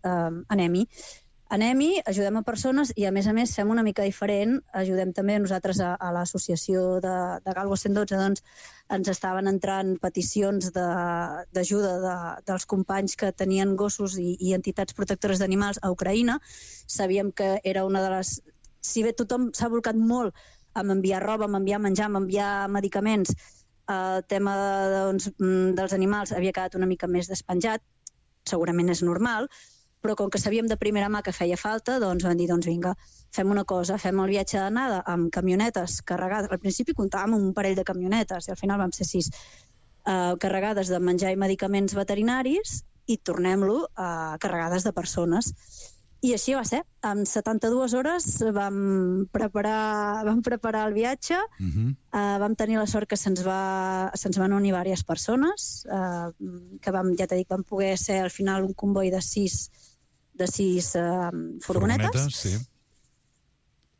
anem-hi, ajudem a persones, i a més fem una mica diferent, ajudem també nosaltres a l'associació de Galgo 112, doncs ens estaven entrant peticions d'ajuda dels companys que tenien gossos i entitats protectores d'animals a Ucraïna. Sabíem que era una de les... Si bé tothom s'ha volcat molt amb enviar roba, amb enviar menjar, amb enviar medicaments, el tema dels animals havia quedat una mica més despenjat, segurament és normal, però com que sabíem de primera mà que feia falta, doncs vam dir, doncs vinga, fem una cosa, fem el viatge d'anada amb camionetes carregades. Al principi comptàvem amb un parell de camionetes i al final vam ser 6, carregades de menjar i medicaments veterinaris, i tornem-lo carregades de persones. I així va ser. En 72 hores vam preparar el viatge, vam tenir la sort que se'ns van unir diverses persones, que ja t'he dit, vam poder ser al final un comboi de 6 furgonetes. Sí.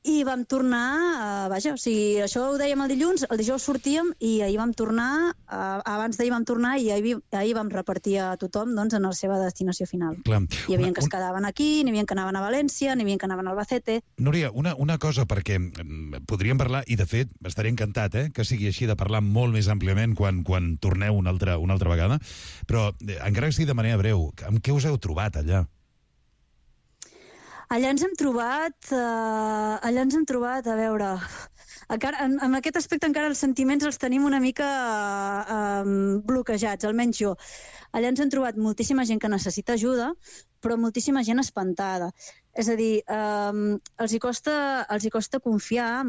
I vam tornar, o sigui, això ho dèiem el dilluns, el dijous sortíem i ahir vam tornar, abans d'ahir vam tornar i ahir vam repartir a tothom, doncs, en la seva destinació final. Clar. Hi havia que es quedaven aquí, n'hi havia que anaven a València, n'hi havia que anaven a Albacete. Núria, una cosa, perquè podríem parlar, i de fet estaré encantat que sigui així, de parlar molt més àmpliament quan torneu una altra vegada, però encara que sigui de manera breu, amb què us heu trobat allà? Allà ens hem trobat, a veure, en aquest aspecte encara els sentiments els tenim una mica bloquejats, almenys jo. Allà ens hem trobat moltíssima gent que necessita ajuda, però moltíssima gent espantada. És a dir, els hi costa confiar,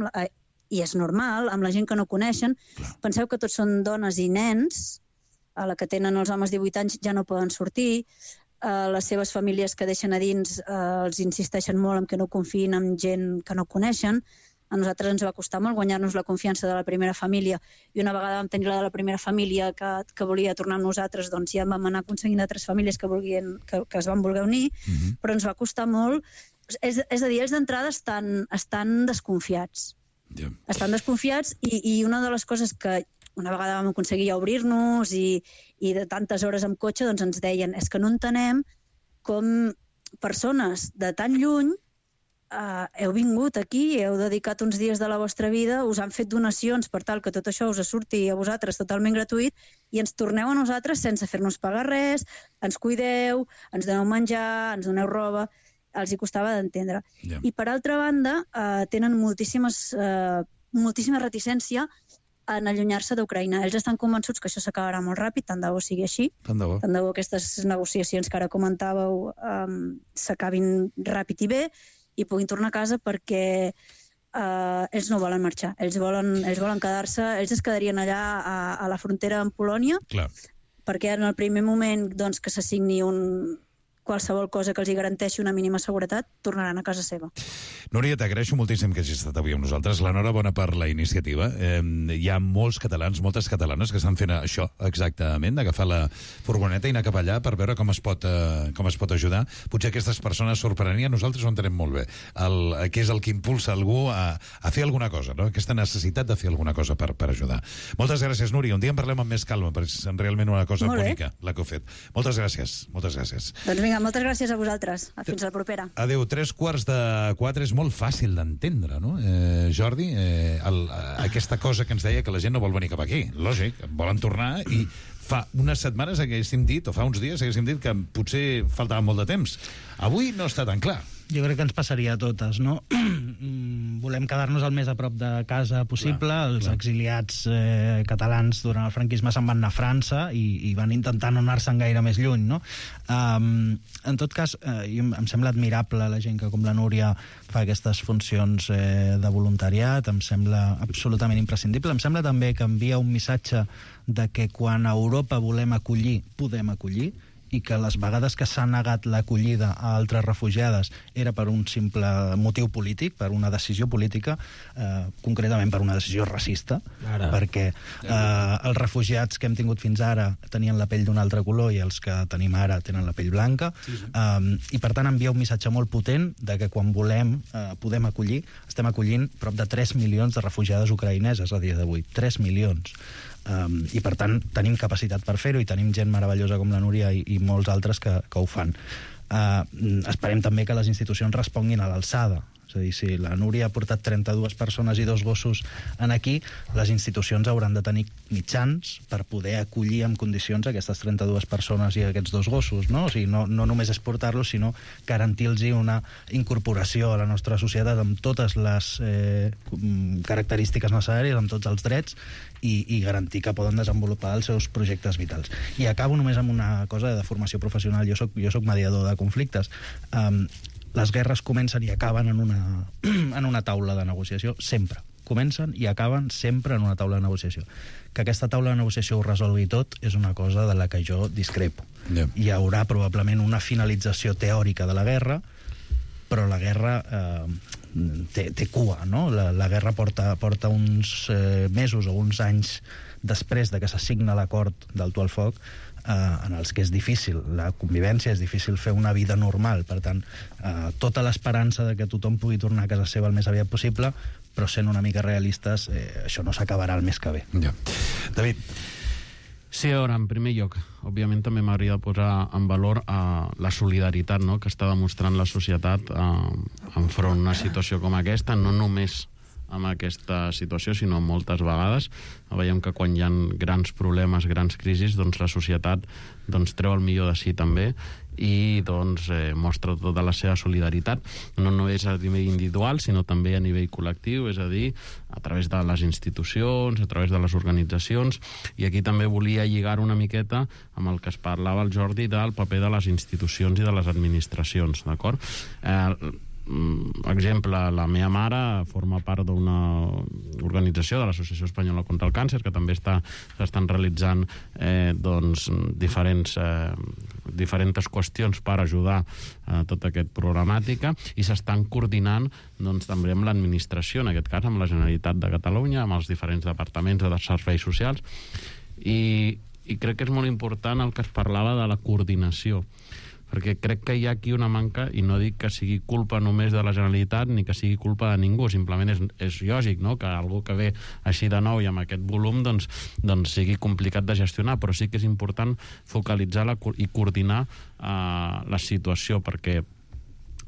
i és normal, amb la gent que no coneixen. Penseu que tots són dones i nens, a la que tenen els homes 18 anys ja no poden sortir, les seves famílies que deixen a dins els insisteixen molt en que no confiïn en gent que no coneixen. A nosaltres ens va costar molt guanyar-nos la confiança de la primera família, i una vegada vam tenir la de la primera família que volia tornar amb nosaltres, doncs ja vam anar aconseguint altres famílies que es van voler unir, però ens va costar molt. És a dir, ells d'entrada estan desconfiats. Estan desconfiats, i una de les coses que una vegada vam aconseguir ja obrir-nos i de tantes hores amb cotxe doncs ens deien és que no entenem com persones de tan lluny heu vingut aquí, heu dedicat uns dies de la vostra vida, us han fet donacions per tal que tot això us surti a vosaltres totalment gratuït i ens torneu a nosaltres sense fer-nos pagar res, ens cuideu, ens doneu menjar, ens doneu roba, els hi costava d'entendre. Ja. I per altra banda, tenen moltíssima reticència en allunyar-se d'Ucraïna. Ells estan convençuts que això s'acabarà molt ràpid, tant de bo sigui així, tant de bo aquestes negociacions que ara comentàveu s'acabin ràpid i bé, i puguin tornar a casa perquè ells no volen marxar, ells volen quedar-se, ells es quedarien allà a la frontera amb Polònia. Clar. Perquè en el primer moment doncs, que s'assigni qualsevol cosa que els hi garanteixi una mínima seguretat, tornaran a casa seva. Núria, t'agraeixo moltíssim que hagis estat avui amb nosaltres. L'enhorabona per la iniciativa. Hi ha molts catalans, moltes catalanes que estan fent això, exactament, d'agafar la furgoneta i anar cap allà per veure com es pot ajudar. Potser aquestes persones sorprenien, nosaltres ho entenem molt bé, què és el que impulsa algú a fer alguna cosa, no? Aquesta necessitat de fer alguna cosa per ajudar. Moltes gràcies, Núria. Un dia en parlem amb més calma, perquè és realment una cosa bonica la que heu fet. Moltes gràcies. Moltes gràcies. Doncs vinga, moltes gràcies a vosaltres. Fins a la propera. Adéu. 3:45 és molt fàcil d'entendre, no? Jordi, aquesta cosa que ens deia que la gent no vol venir cap aquí. Lògic, volen tornar i fa unes setmanes haguéssim dit, o fa uns dies haguéssim dit que potser faltava molt de temps. Avui no està tan clar. Jo crec que ens passaria a totes, no? Volem quedar-nos el més a prop de casa possible. Els exiliats catalans durant el franquisme se'n van anar a França i van intentar no anar-se'n gaire més lluny, no? En tot cas, em sembla admirable la gent que, com la Núria, fa aquestes funcions de voluntariat. Em sembla absolutament imprescindible. Em sembla també que envia un missatge de que quan a Europa volem acollir, podem acollir, i que les vegades que s'ha negat l'acollida a altres refugiades era per un simple motiu polític, per una decisió política, concretament per una decisió racista, perquè els refugiats que hem tingut fins ara tenien la pell d'un altre color i els que tenim ara tenen la pell blanca, i per tant envia un missatge molt potent de que quan volem podem acollir. Estem acollint prop de 3 milions de refugiades ucraïneses a dia d'avui, 3 milions. I per tant tenim capacitat per fer-ho i tenim gent meravellosa com la Núria i molts altres que ho fan. Esperem també que les institucions responguin a l'alçada. És a dir, si la Núria ha portat 32 persones i 2 gossos en aquí, les institucions hauran de tenir mitjans per poder acollir en condicions aquestes 32 persones i aquests 2 gossos, no? O sigui, no només és portar-los, sinó garantir-los una incorporació a la nostra societat amb totes les característiques necessàries, amb tots els drets, i garantir que poden desenvolupar els seus projectes vitals. I acabo només amb una cosa de formació professional. Jo soc mediador de conflictes. Les guerres comencen i acaben en una taula de negociació, sempre. Comencen i acaben sempre en una taula de negociació. Que aquesta taula de negociació ho resolgui tot és una cosa de la que jo discrepo. Hi haurà probablement una finalització teòrica de la guerra, però la guerra té cua, no? La guerra porta uns mesos o uns anys després de que s'assigna l'acord d'alto al foc, en els que és difícil la convivència, és difícil fer una vida normal. Per tant, tota l'esperança de que tothom pugui tornar a casa seva el més aviat possible, però sent una mica realistes, això no s'acabarà el mes que ve. David. Sí, a veure, en primer lloc, òbviament també m'hauria de posar en valor la solidaritat, no?, que està demostrant la societat enfront d'una situació com aquesta, no només amb aquesta situació, sinó moltes vegades. Veiem que quan hi ha grans problemes, grans crisis, doncs la societat treu el millor de si també i mostra tota la seva solidaritat, no només a nivell individual, sinó també a nivell col·lectiu, és a dir, a través de les institucions, a través de les organitzacions, i aquí també volia lligar una miqueta amb el que es parlava el Jordi del paper de les institucions i de les administracions, d'acord? Exemple, la meva mare forma part d'una organització de l'Associació Espanyola contra el Càncer, que també s'estan realitzant diferents qüestions per ajudar a tota aquesta problemàtica, i s'estan coordinant també amb l'administració, en aquest cas amb la Generalitat de Catalunya, amb els diferents departaments de serveis socials, i crec que és molt important el que es parlava de la coordinació. perquè crec que hi ha aquí una manca, i no dic que sigui culpa només de la Generalitat ni que sigui culpa de ningú, simplement és lògic, no?, que algú que ve així de nou i amb aquest volum doncs sigui complicat de gestionar, però sí que és important focalitzar i coordinar la situació, perquè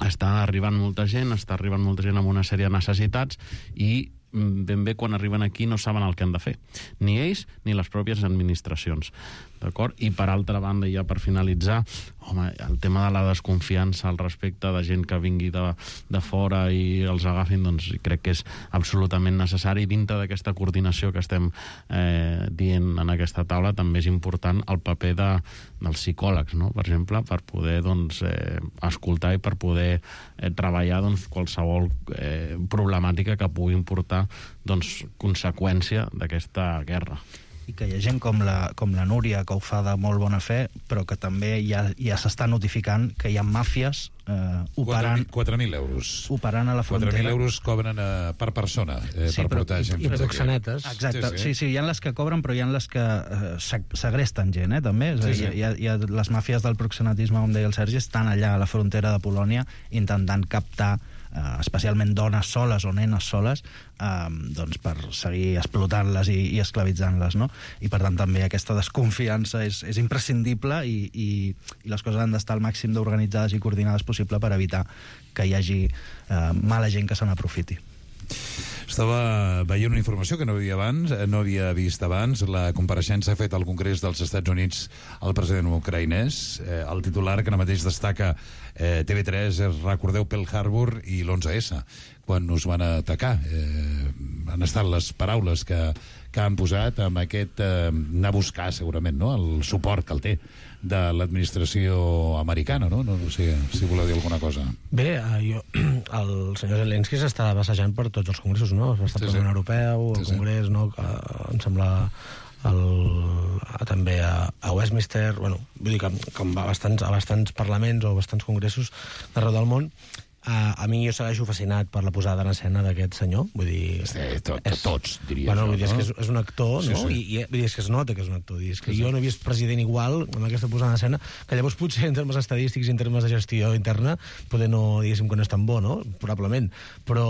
està arribant molta gent amb una sèrie de necessitats i ben bé quan arriben aquí no saben el que han de fer, ni ells ni les pròpies administracions, d'acord? I per altra banda, ja per finalitzar, home, el tema de la desconfiança al respecte de gent que vingui de fora i els agafin, doncs crec que és absolutament necessari. Dintre d'aquesta coordinació que estem dient en aquesta taula, també és important el paper dels psicòlegs, no?, per exemple, per poder escoltar i per poder treballar qualsevol problemàtica que pugui portar conseqüència d'aquesta guerra. I que hi ha gent com la Núria, que ho fa de molt bona fe, però que també ja s'està notificant que hi ha màfies operant... 4.000 euros. Operant a la frontera. 4.000 euros cobren per persona per portar gent. I proxenetes. Exacte, sí, hi ha les que cobren, però hi ha les que segresten gent, també. Hi ha les màfies del proxenetisme, com deia el Sergi, estan allà a la frontera de Polònia intentant captar especialment dones soles o nenes soles per seguir explotant-les i esclavitzant-les, no? I per tant també aquesta desconfiança és imprescindible i les coses han d'estar al màxim d'organitzades i coordinades possible per evitar que hi hagi mala gent que se n'aprofiti. Estava veient una informació que no havia vist abans, la compareixença feta al Congrés dels Estats Units al president ucraïnès. El titular que ara mateix destaca TV3 és: recordeu Pearl Harbor i l'11S, quan us van atacar. Han estat les paraules que han posat amb aquest anar a buscar, segurament, no?, el suport que el té de l'administració americana, no? No sé si voleu dir alguna cosa. Bé, el senyor Zelensky s'està passejant per tots els congressos, no? Va estar per la Unió Europea, el Congrés, no? Em sembla també a Westminster, bueno, vull dir que com va a bastants parlaments o bastants congressos d'arreu del món. A mi jo segueixo fascinat per la posada en escena d'aquest senyor, vull dir... Tots, diria jo. Vull dir, no? És un actor, no? I vull dir, és que es nota que és un actor. És que jo no he vist president igual amb aquesta posada en escena, que llavors potser en termes estadístics i en termes de gestió interna poder no, diguéssim, que no és tan bo, no? Probablement. Però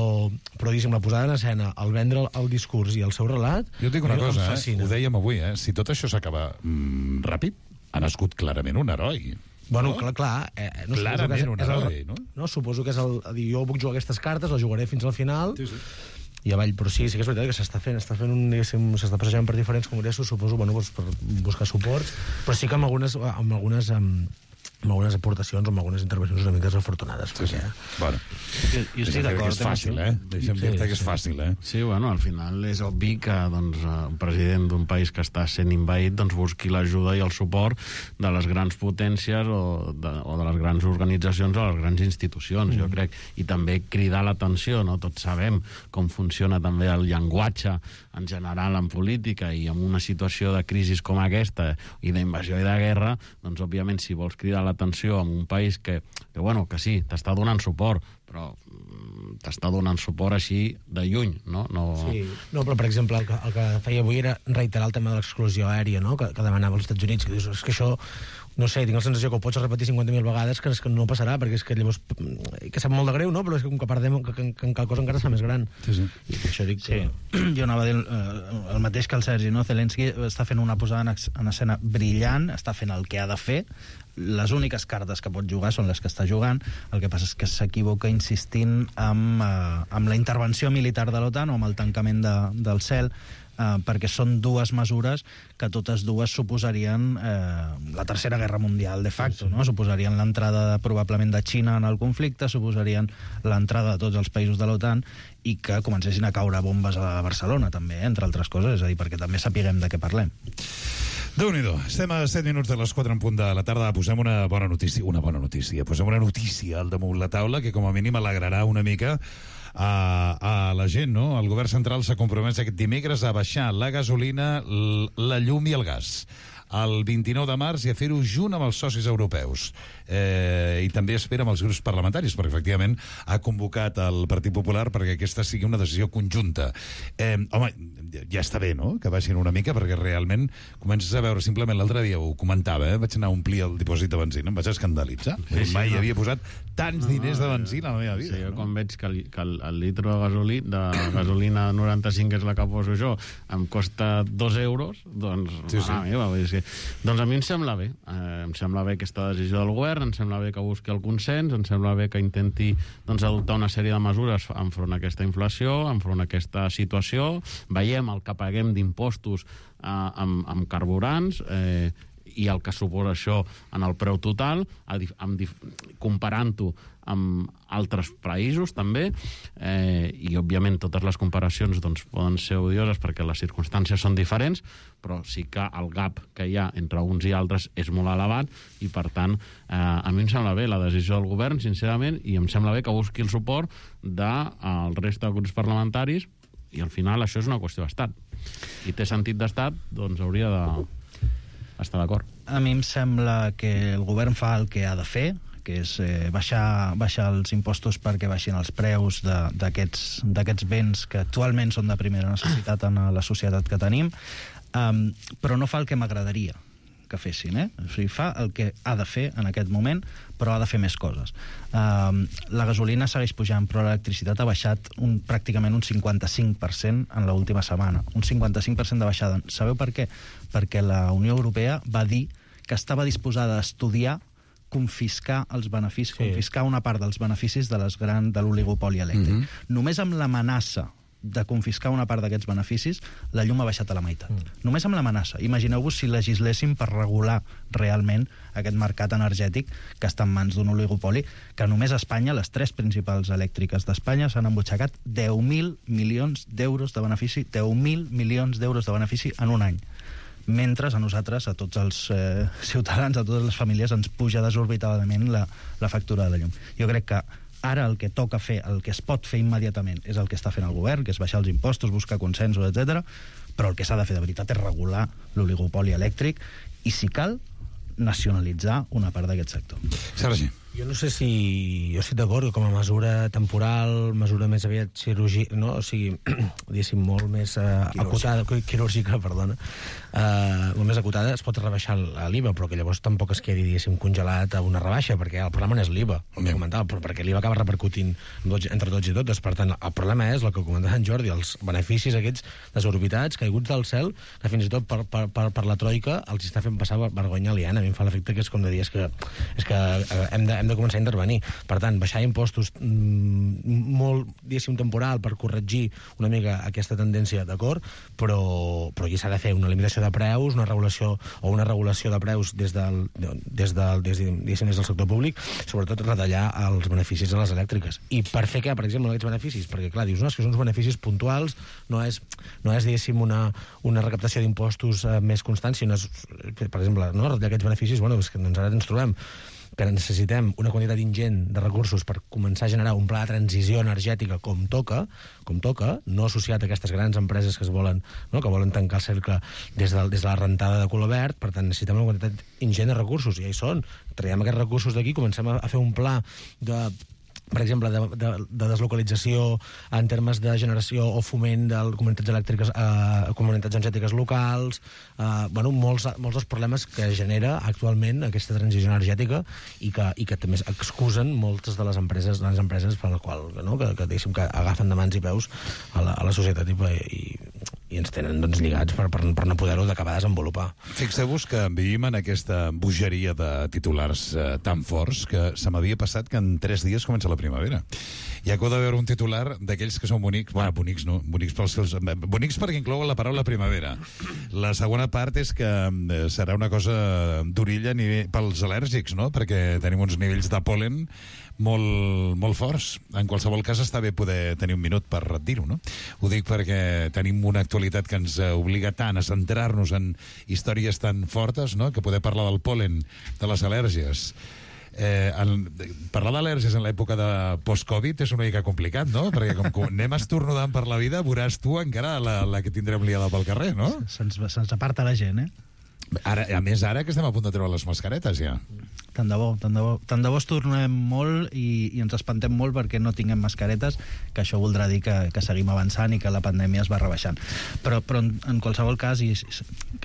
diguéssim, la posada en escena, el vendre el discurs i el seu relat... Jo et dic una cosa, ho dèiem avui, si tot això s'acaba ràpid, ha nascut clarament un heroi. Bueno, clar, no clarament un heroi, no? No, suposo que és jo puc jugar aquestes cartes, les jugaré fins al final, i avall, però sí que és veritat que s'està passejant per diferents congressos, suposo, bueno, per buscar suports, però sí que amb algunes aportacions o amb algunes intervencions una mica desafortunades. Bueno, jo estic d'acord. És fàcil, Deixa'm dir-te que és fàcil, Sí, bueno, al final és obvi que un president d'un país que està sent invaït busqui l'ajuda i el suport de les grans potències o de les grans organitzacions o les grans institucions, jo crec. I també cridar l'atenció, no? Tots sabem com funciona també el llenguatge en general en política, i en una situació de crisi com aquesta i d'invasió i de guerra, doncs òbviament si vols cridar l'atenció en un país que sí, t'està donant suport, però t'està donant suport així de lluny, no? Sí. No, però per exemple el que feia avui era reiterar el tema de l'exclusió aèria, no?, que demanava als Estats Units, que dius, és que això, no sé, tinc la sensació que ho pots repetir 50.000 vegades, que no passarà, perquè és que llavors, que sap molt de greu, no?, però és que com que perdem, que en cal cosa encara està més gran. Sí. I això dic que... Jo anava a dir el mateix que el Sergi, no? Zelensky està fent una posada en escena brillant, està fent el que ha de fer, les úniques cartes que pot jugar són les que està jugant. El que passa és que s'equivoca insistint amb la intervenció militar de l'OTAN o amb el tancament del cel, perquè són dues mesures que totes dues suposarien la Tercera Guerra Mundial de facto, no? Suposarien l'entrada probablement de Xina en el conflicte, suposarien l'entrada de tots els països de l'OTAN i que comencessin a caure bombes a Barcelona també, entre altres coses, és a dir, perquè també sapiguem de què parlem. Déu-n'hi-do, estem a 7 minuts de les 4 en punt de la tarda. Posem una bona notícia, posem una notícia al damunt la taula que com a mínim alegrarà una mica a la gent, no? El govern central s'ha compromès aquest dimecres a baixar la gasolina, la llum i el gas. el 29 de març i a fer-ho junt amb els socis europeus. I també espera amb els grups parlamentaris, perquè efectivament ha convocat el Partit Popular perquè aquesta sigui una decisió conjunta. Home, ja està bé, no?, que baixin una mica, perquè realment comences a veure, simplement l'altre dia ho comentava, vaig anar a omplir el dipòsit de benzina, em vaig escandalitzar. Mai havia posat tants diners de benzina a la meva vida. Sí, jo quan veig que el litro de gasolina 95, que és la que poso jo, em costa 2 euros, doncs, meva, doncs a mi em sembla bé. Em sembla bé aquesta decisió del govern, em sembla bé que busqui el consens, em sembla bé que intenti adoptar una sèrie de mesures enfront a aquesta inflació, enfront a aquesta situació. Veiem el que paguem d'impostos amb carburants i el que suposa això en el preu total, comparant-ho amb altres països també, i òbviament totes les comparacions poden ser odioses perquè les circumstàncies són diferents, però sí que el gap que hi ha entre uns i altres és molt elevat i per tant a mi em sembla bé la decisió del govern, sincerament, i em sembla bé que busqui el suport del resta de grups parlamentaris i al final això és una qüestió d'estat i té sentit d'estat, doncs hauria d'estar d'acord. A mi em sembla que el govern fa el que ha de fer, que és baixar els impostos perquè baixin els preus d'aquests béns que actualment són de primera necessitat en la societat que tenim, però no fa el que m'agradaria que fessin, O sigui, fa el que ha de fer en aquest moment, però ha de fer més coses. La gasolina segueix pujant, però l'electricitat ha baixat pràcticament un 55% en l'última setmana. Un 55% de baixada. Sabeu per què? Perquè la Unió Europea va dir que estava disposada a estudiar confiscar els beneficis, confiscar una part dels beneficis de l'oligopoli elèctric. Només amb l'amenaça de confiscar una part d'aquests beneficis, la llum ha baixat a la meitat. Només amb l'amenaça. Imagineu-vos si legisléssim per regular realment aquest mercat energètic que està en mans d'un oligopoli, que només a Espanya, les 3 principals elèctriques d'Espanya, s'han embutxacat 10.000 milions d'euros de benefici, 10.000 milions d'euros de benefici en un any. Mentre a nosaltres, a tots els ciutadans, a totes les famílies, ens puja desorbitadament la factura de la llum. Jo crec que ara el que toca fer, el que es pot fer immediatament, és el que està fent el govern, que és baixar els impostos, buscar consensos, etc. Però el que s'ha de fer de veritat és regular l'oligopoli elèctric i, si cal, nacionalitzar una part d'aquest sector. Sergi. Jo no sé si... Jo estic d'acord com a mesura temporal, mesura més aviat quirúrgica, no? O sigui, diguéssim, molt més acotada, quirúrgica, perdona, molt més acotada, es pot rebaixar l'IVA, però que llavors tampoc es quedi, diguéssim, congelat a una rebaixa, perquè el problema no és l'IVA, el que comentava, però perquè l'IVA acaba repercutint entre tots i totes. Per tant, el problema és el que comentava en Jordi, els beneficis aquests desorbitats, caiguts del cel, que fins i tot per la troika els està fent passar vergonya aliena. A mi em fa l'efecte que és com de dir, és que hem de començar a intervenir. Per tant, baixar impostos molt, diguéssim, temporal per corregir una mica aquesta tendència, d'acord, però aquí s'ha de fer una limitació de preus, una regulació de preus des del sector públic, sobretot retallar els beneficis de les elèctriques. I per fer què, per exemple, aquests beneficis? Perquè, clar, dius, no, és que són uns beneficis puntuals, no és diguéssim, una recaptació d'impostos més constant, sinó, per exemple, no, retallar aquests beneficis, bueno, és que ara ens trobem que necessitem una quantitat ingent de recursos per començar a generar un pla de transició energètica com toca, no associat a aquestes grans empreses que volen tancar el cercle des de la rentada de color verd. Per tant, necessitem una quantitat ingent de recursos, i ja hi són. Traiem aquests recursos d'aquí, comencem a fer un pla per exemple, de deslocalització en termes de generació o foment de comunitats elèctriques, comunitats energètiques locals, molts dels problemes que genera actualment aquesta transició energètica i que també excusen moltes de les empreses per la qual, que diguéssim que agafen de mans i peus a la societat i ens tenen lligats per no poder-ho d'acabar de desenvolupar. Fixeu-vos que vivim en aquesta bogeria de titulars tan forts que se m'havia passat que en 3 dies comença la primavera. I acabo de veure un titular d'aquells que són bonics, bonics no, bonics perquè inclouen la paraula primavera. La segona part és que serà una cosa d'orilla pels al·lèrgics, no? Perquè tenim uns nivells de pol·len molt forts. En qualsevol cas està bé poder tenir un minut per dir-ho, no? Ho dic perquè tenim una actualitat que ens obliga tant a centrar-nos en històries tan fortes, no?, que poder parlar del pol·len, de les al·lèrgies. Parlar d'al·lèrgies en l'època de post-Covid és una mica complicat, no? Perquè com anem estornudant per la vida, veuràs tu encara la que tindrem liada pel carrer, no? Se'ns aparta la gent, Ara, a més, ara que estem a punt de treure les mascaretes, ja. Tant de bo, tant de bo. Tant de bo es tornem molt i ens espantem molt perquè no tinguem mascaretes, que això voldrà dir que seguim avançant i que la pandèmia es va rebaixant. Però en qualsevol cas,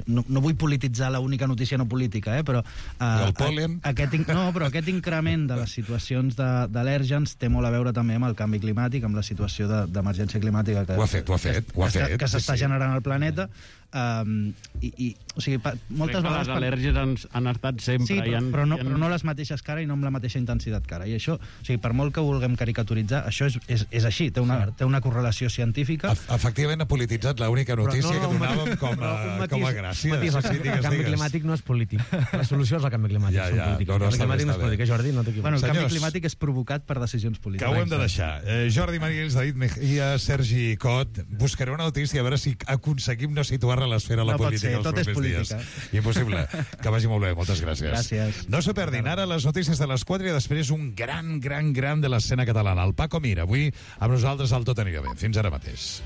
no vull polititzar l'única notícia no política, però... el pol·len? Però aquest increment de les situacions d'al·lèrgens té molt a veure també amb el canvi climàtic, amb la situació d'emergència climàtica que s'està generant al planeta. O sigui, moltes vegades... Les al·lèrgies han estat sempre. Sí, però no les mateixes que ara i no amb la mateixa intensitat que ara. I això, o sigui, per molt que vulguem caricaturitzar, això és així, té una correlació científica. Efectivament, ha polititzat l'única notícia que donàvem com a gràcia. El canvi climàtic no és polític. La solució és el canvi climàtic. El canvi climàtic no és polític, Jordi, no t'equivoques. El canvi climàtic és provocat per decisions polítiques. Que ho hem de deixar. Jordi Mariels, David Mejía, Sergi Cot, buscaré una notícia a veure si aconseguim no situar-la a l'esfera de la política els propers dies. Impossible. Que vagi molt bé, moltes gràcies. Gràcies. No s'ho perdin, ara les notícies de les 4 i després un gran de l'escena catalana, el Paco Mir, avui amb nosaltres al Tot anirà bé. Fins ara mateix.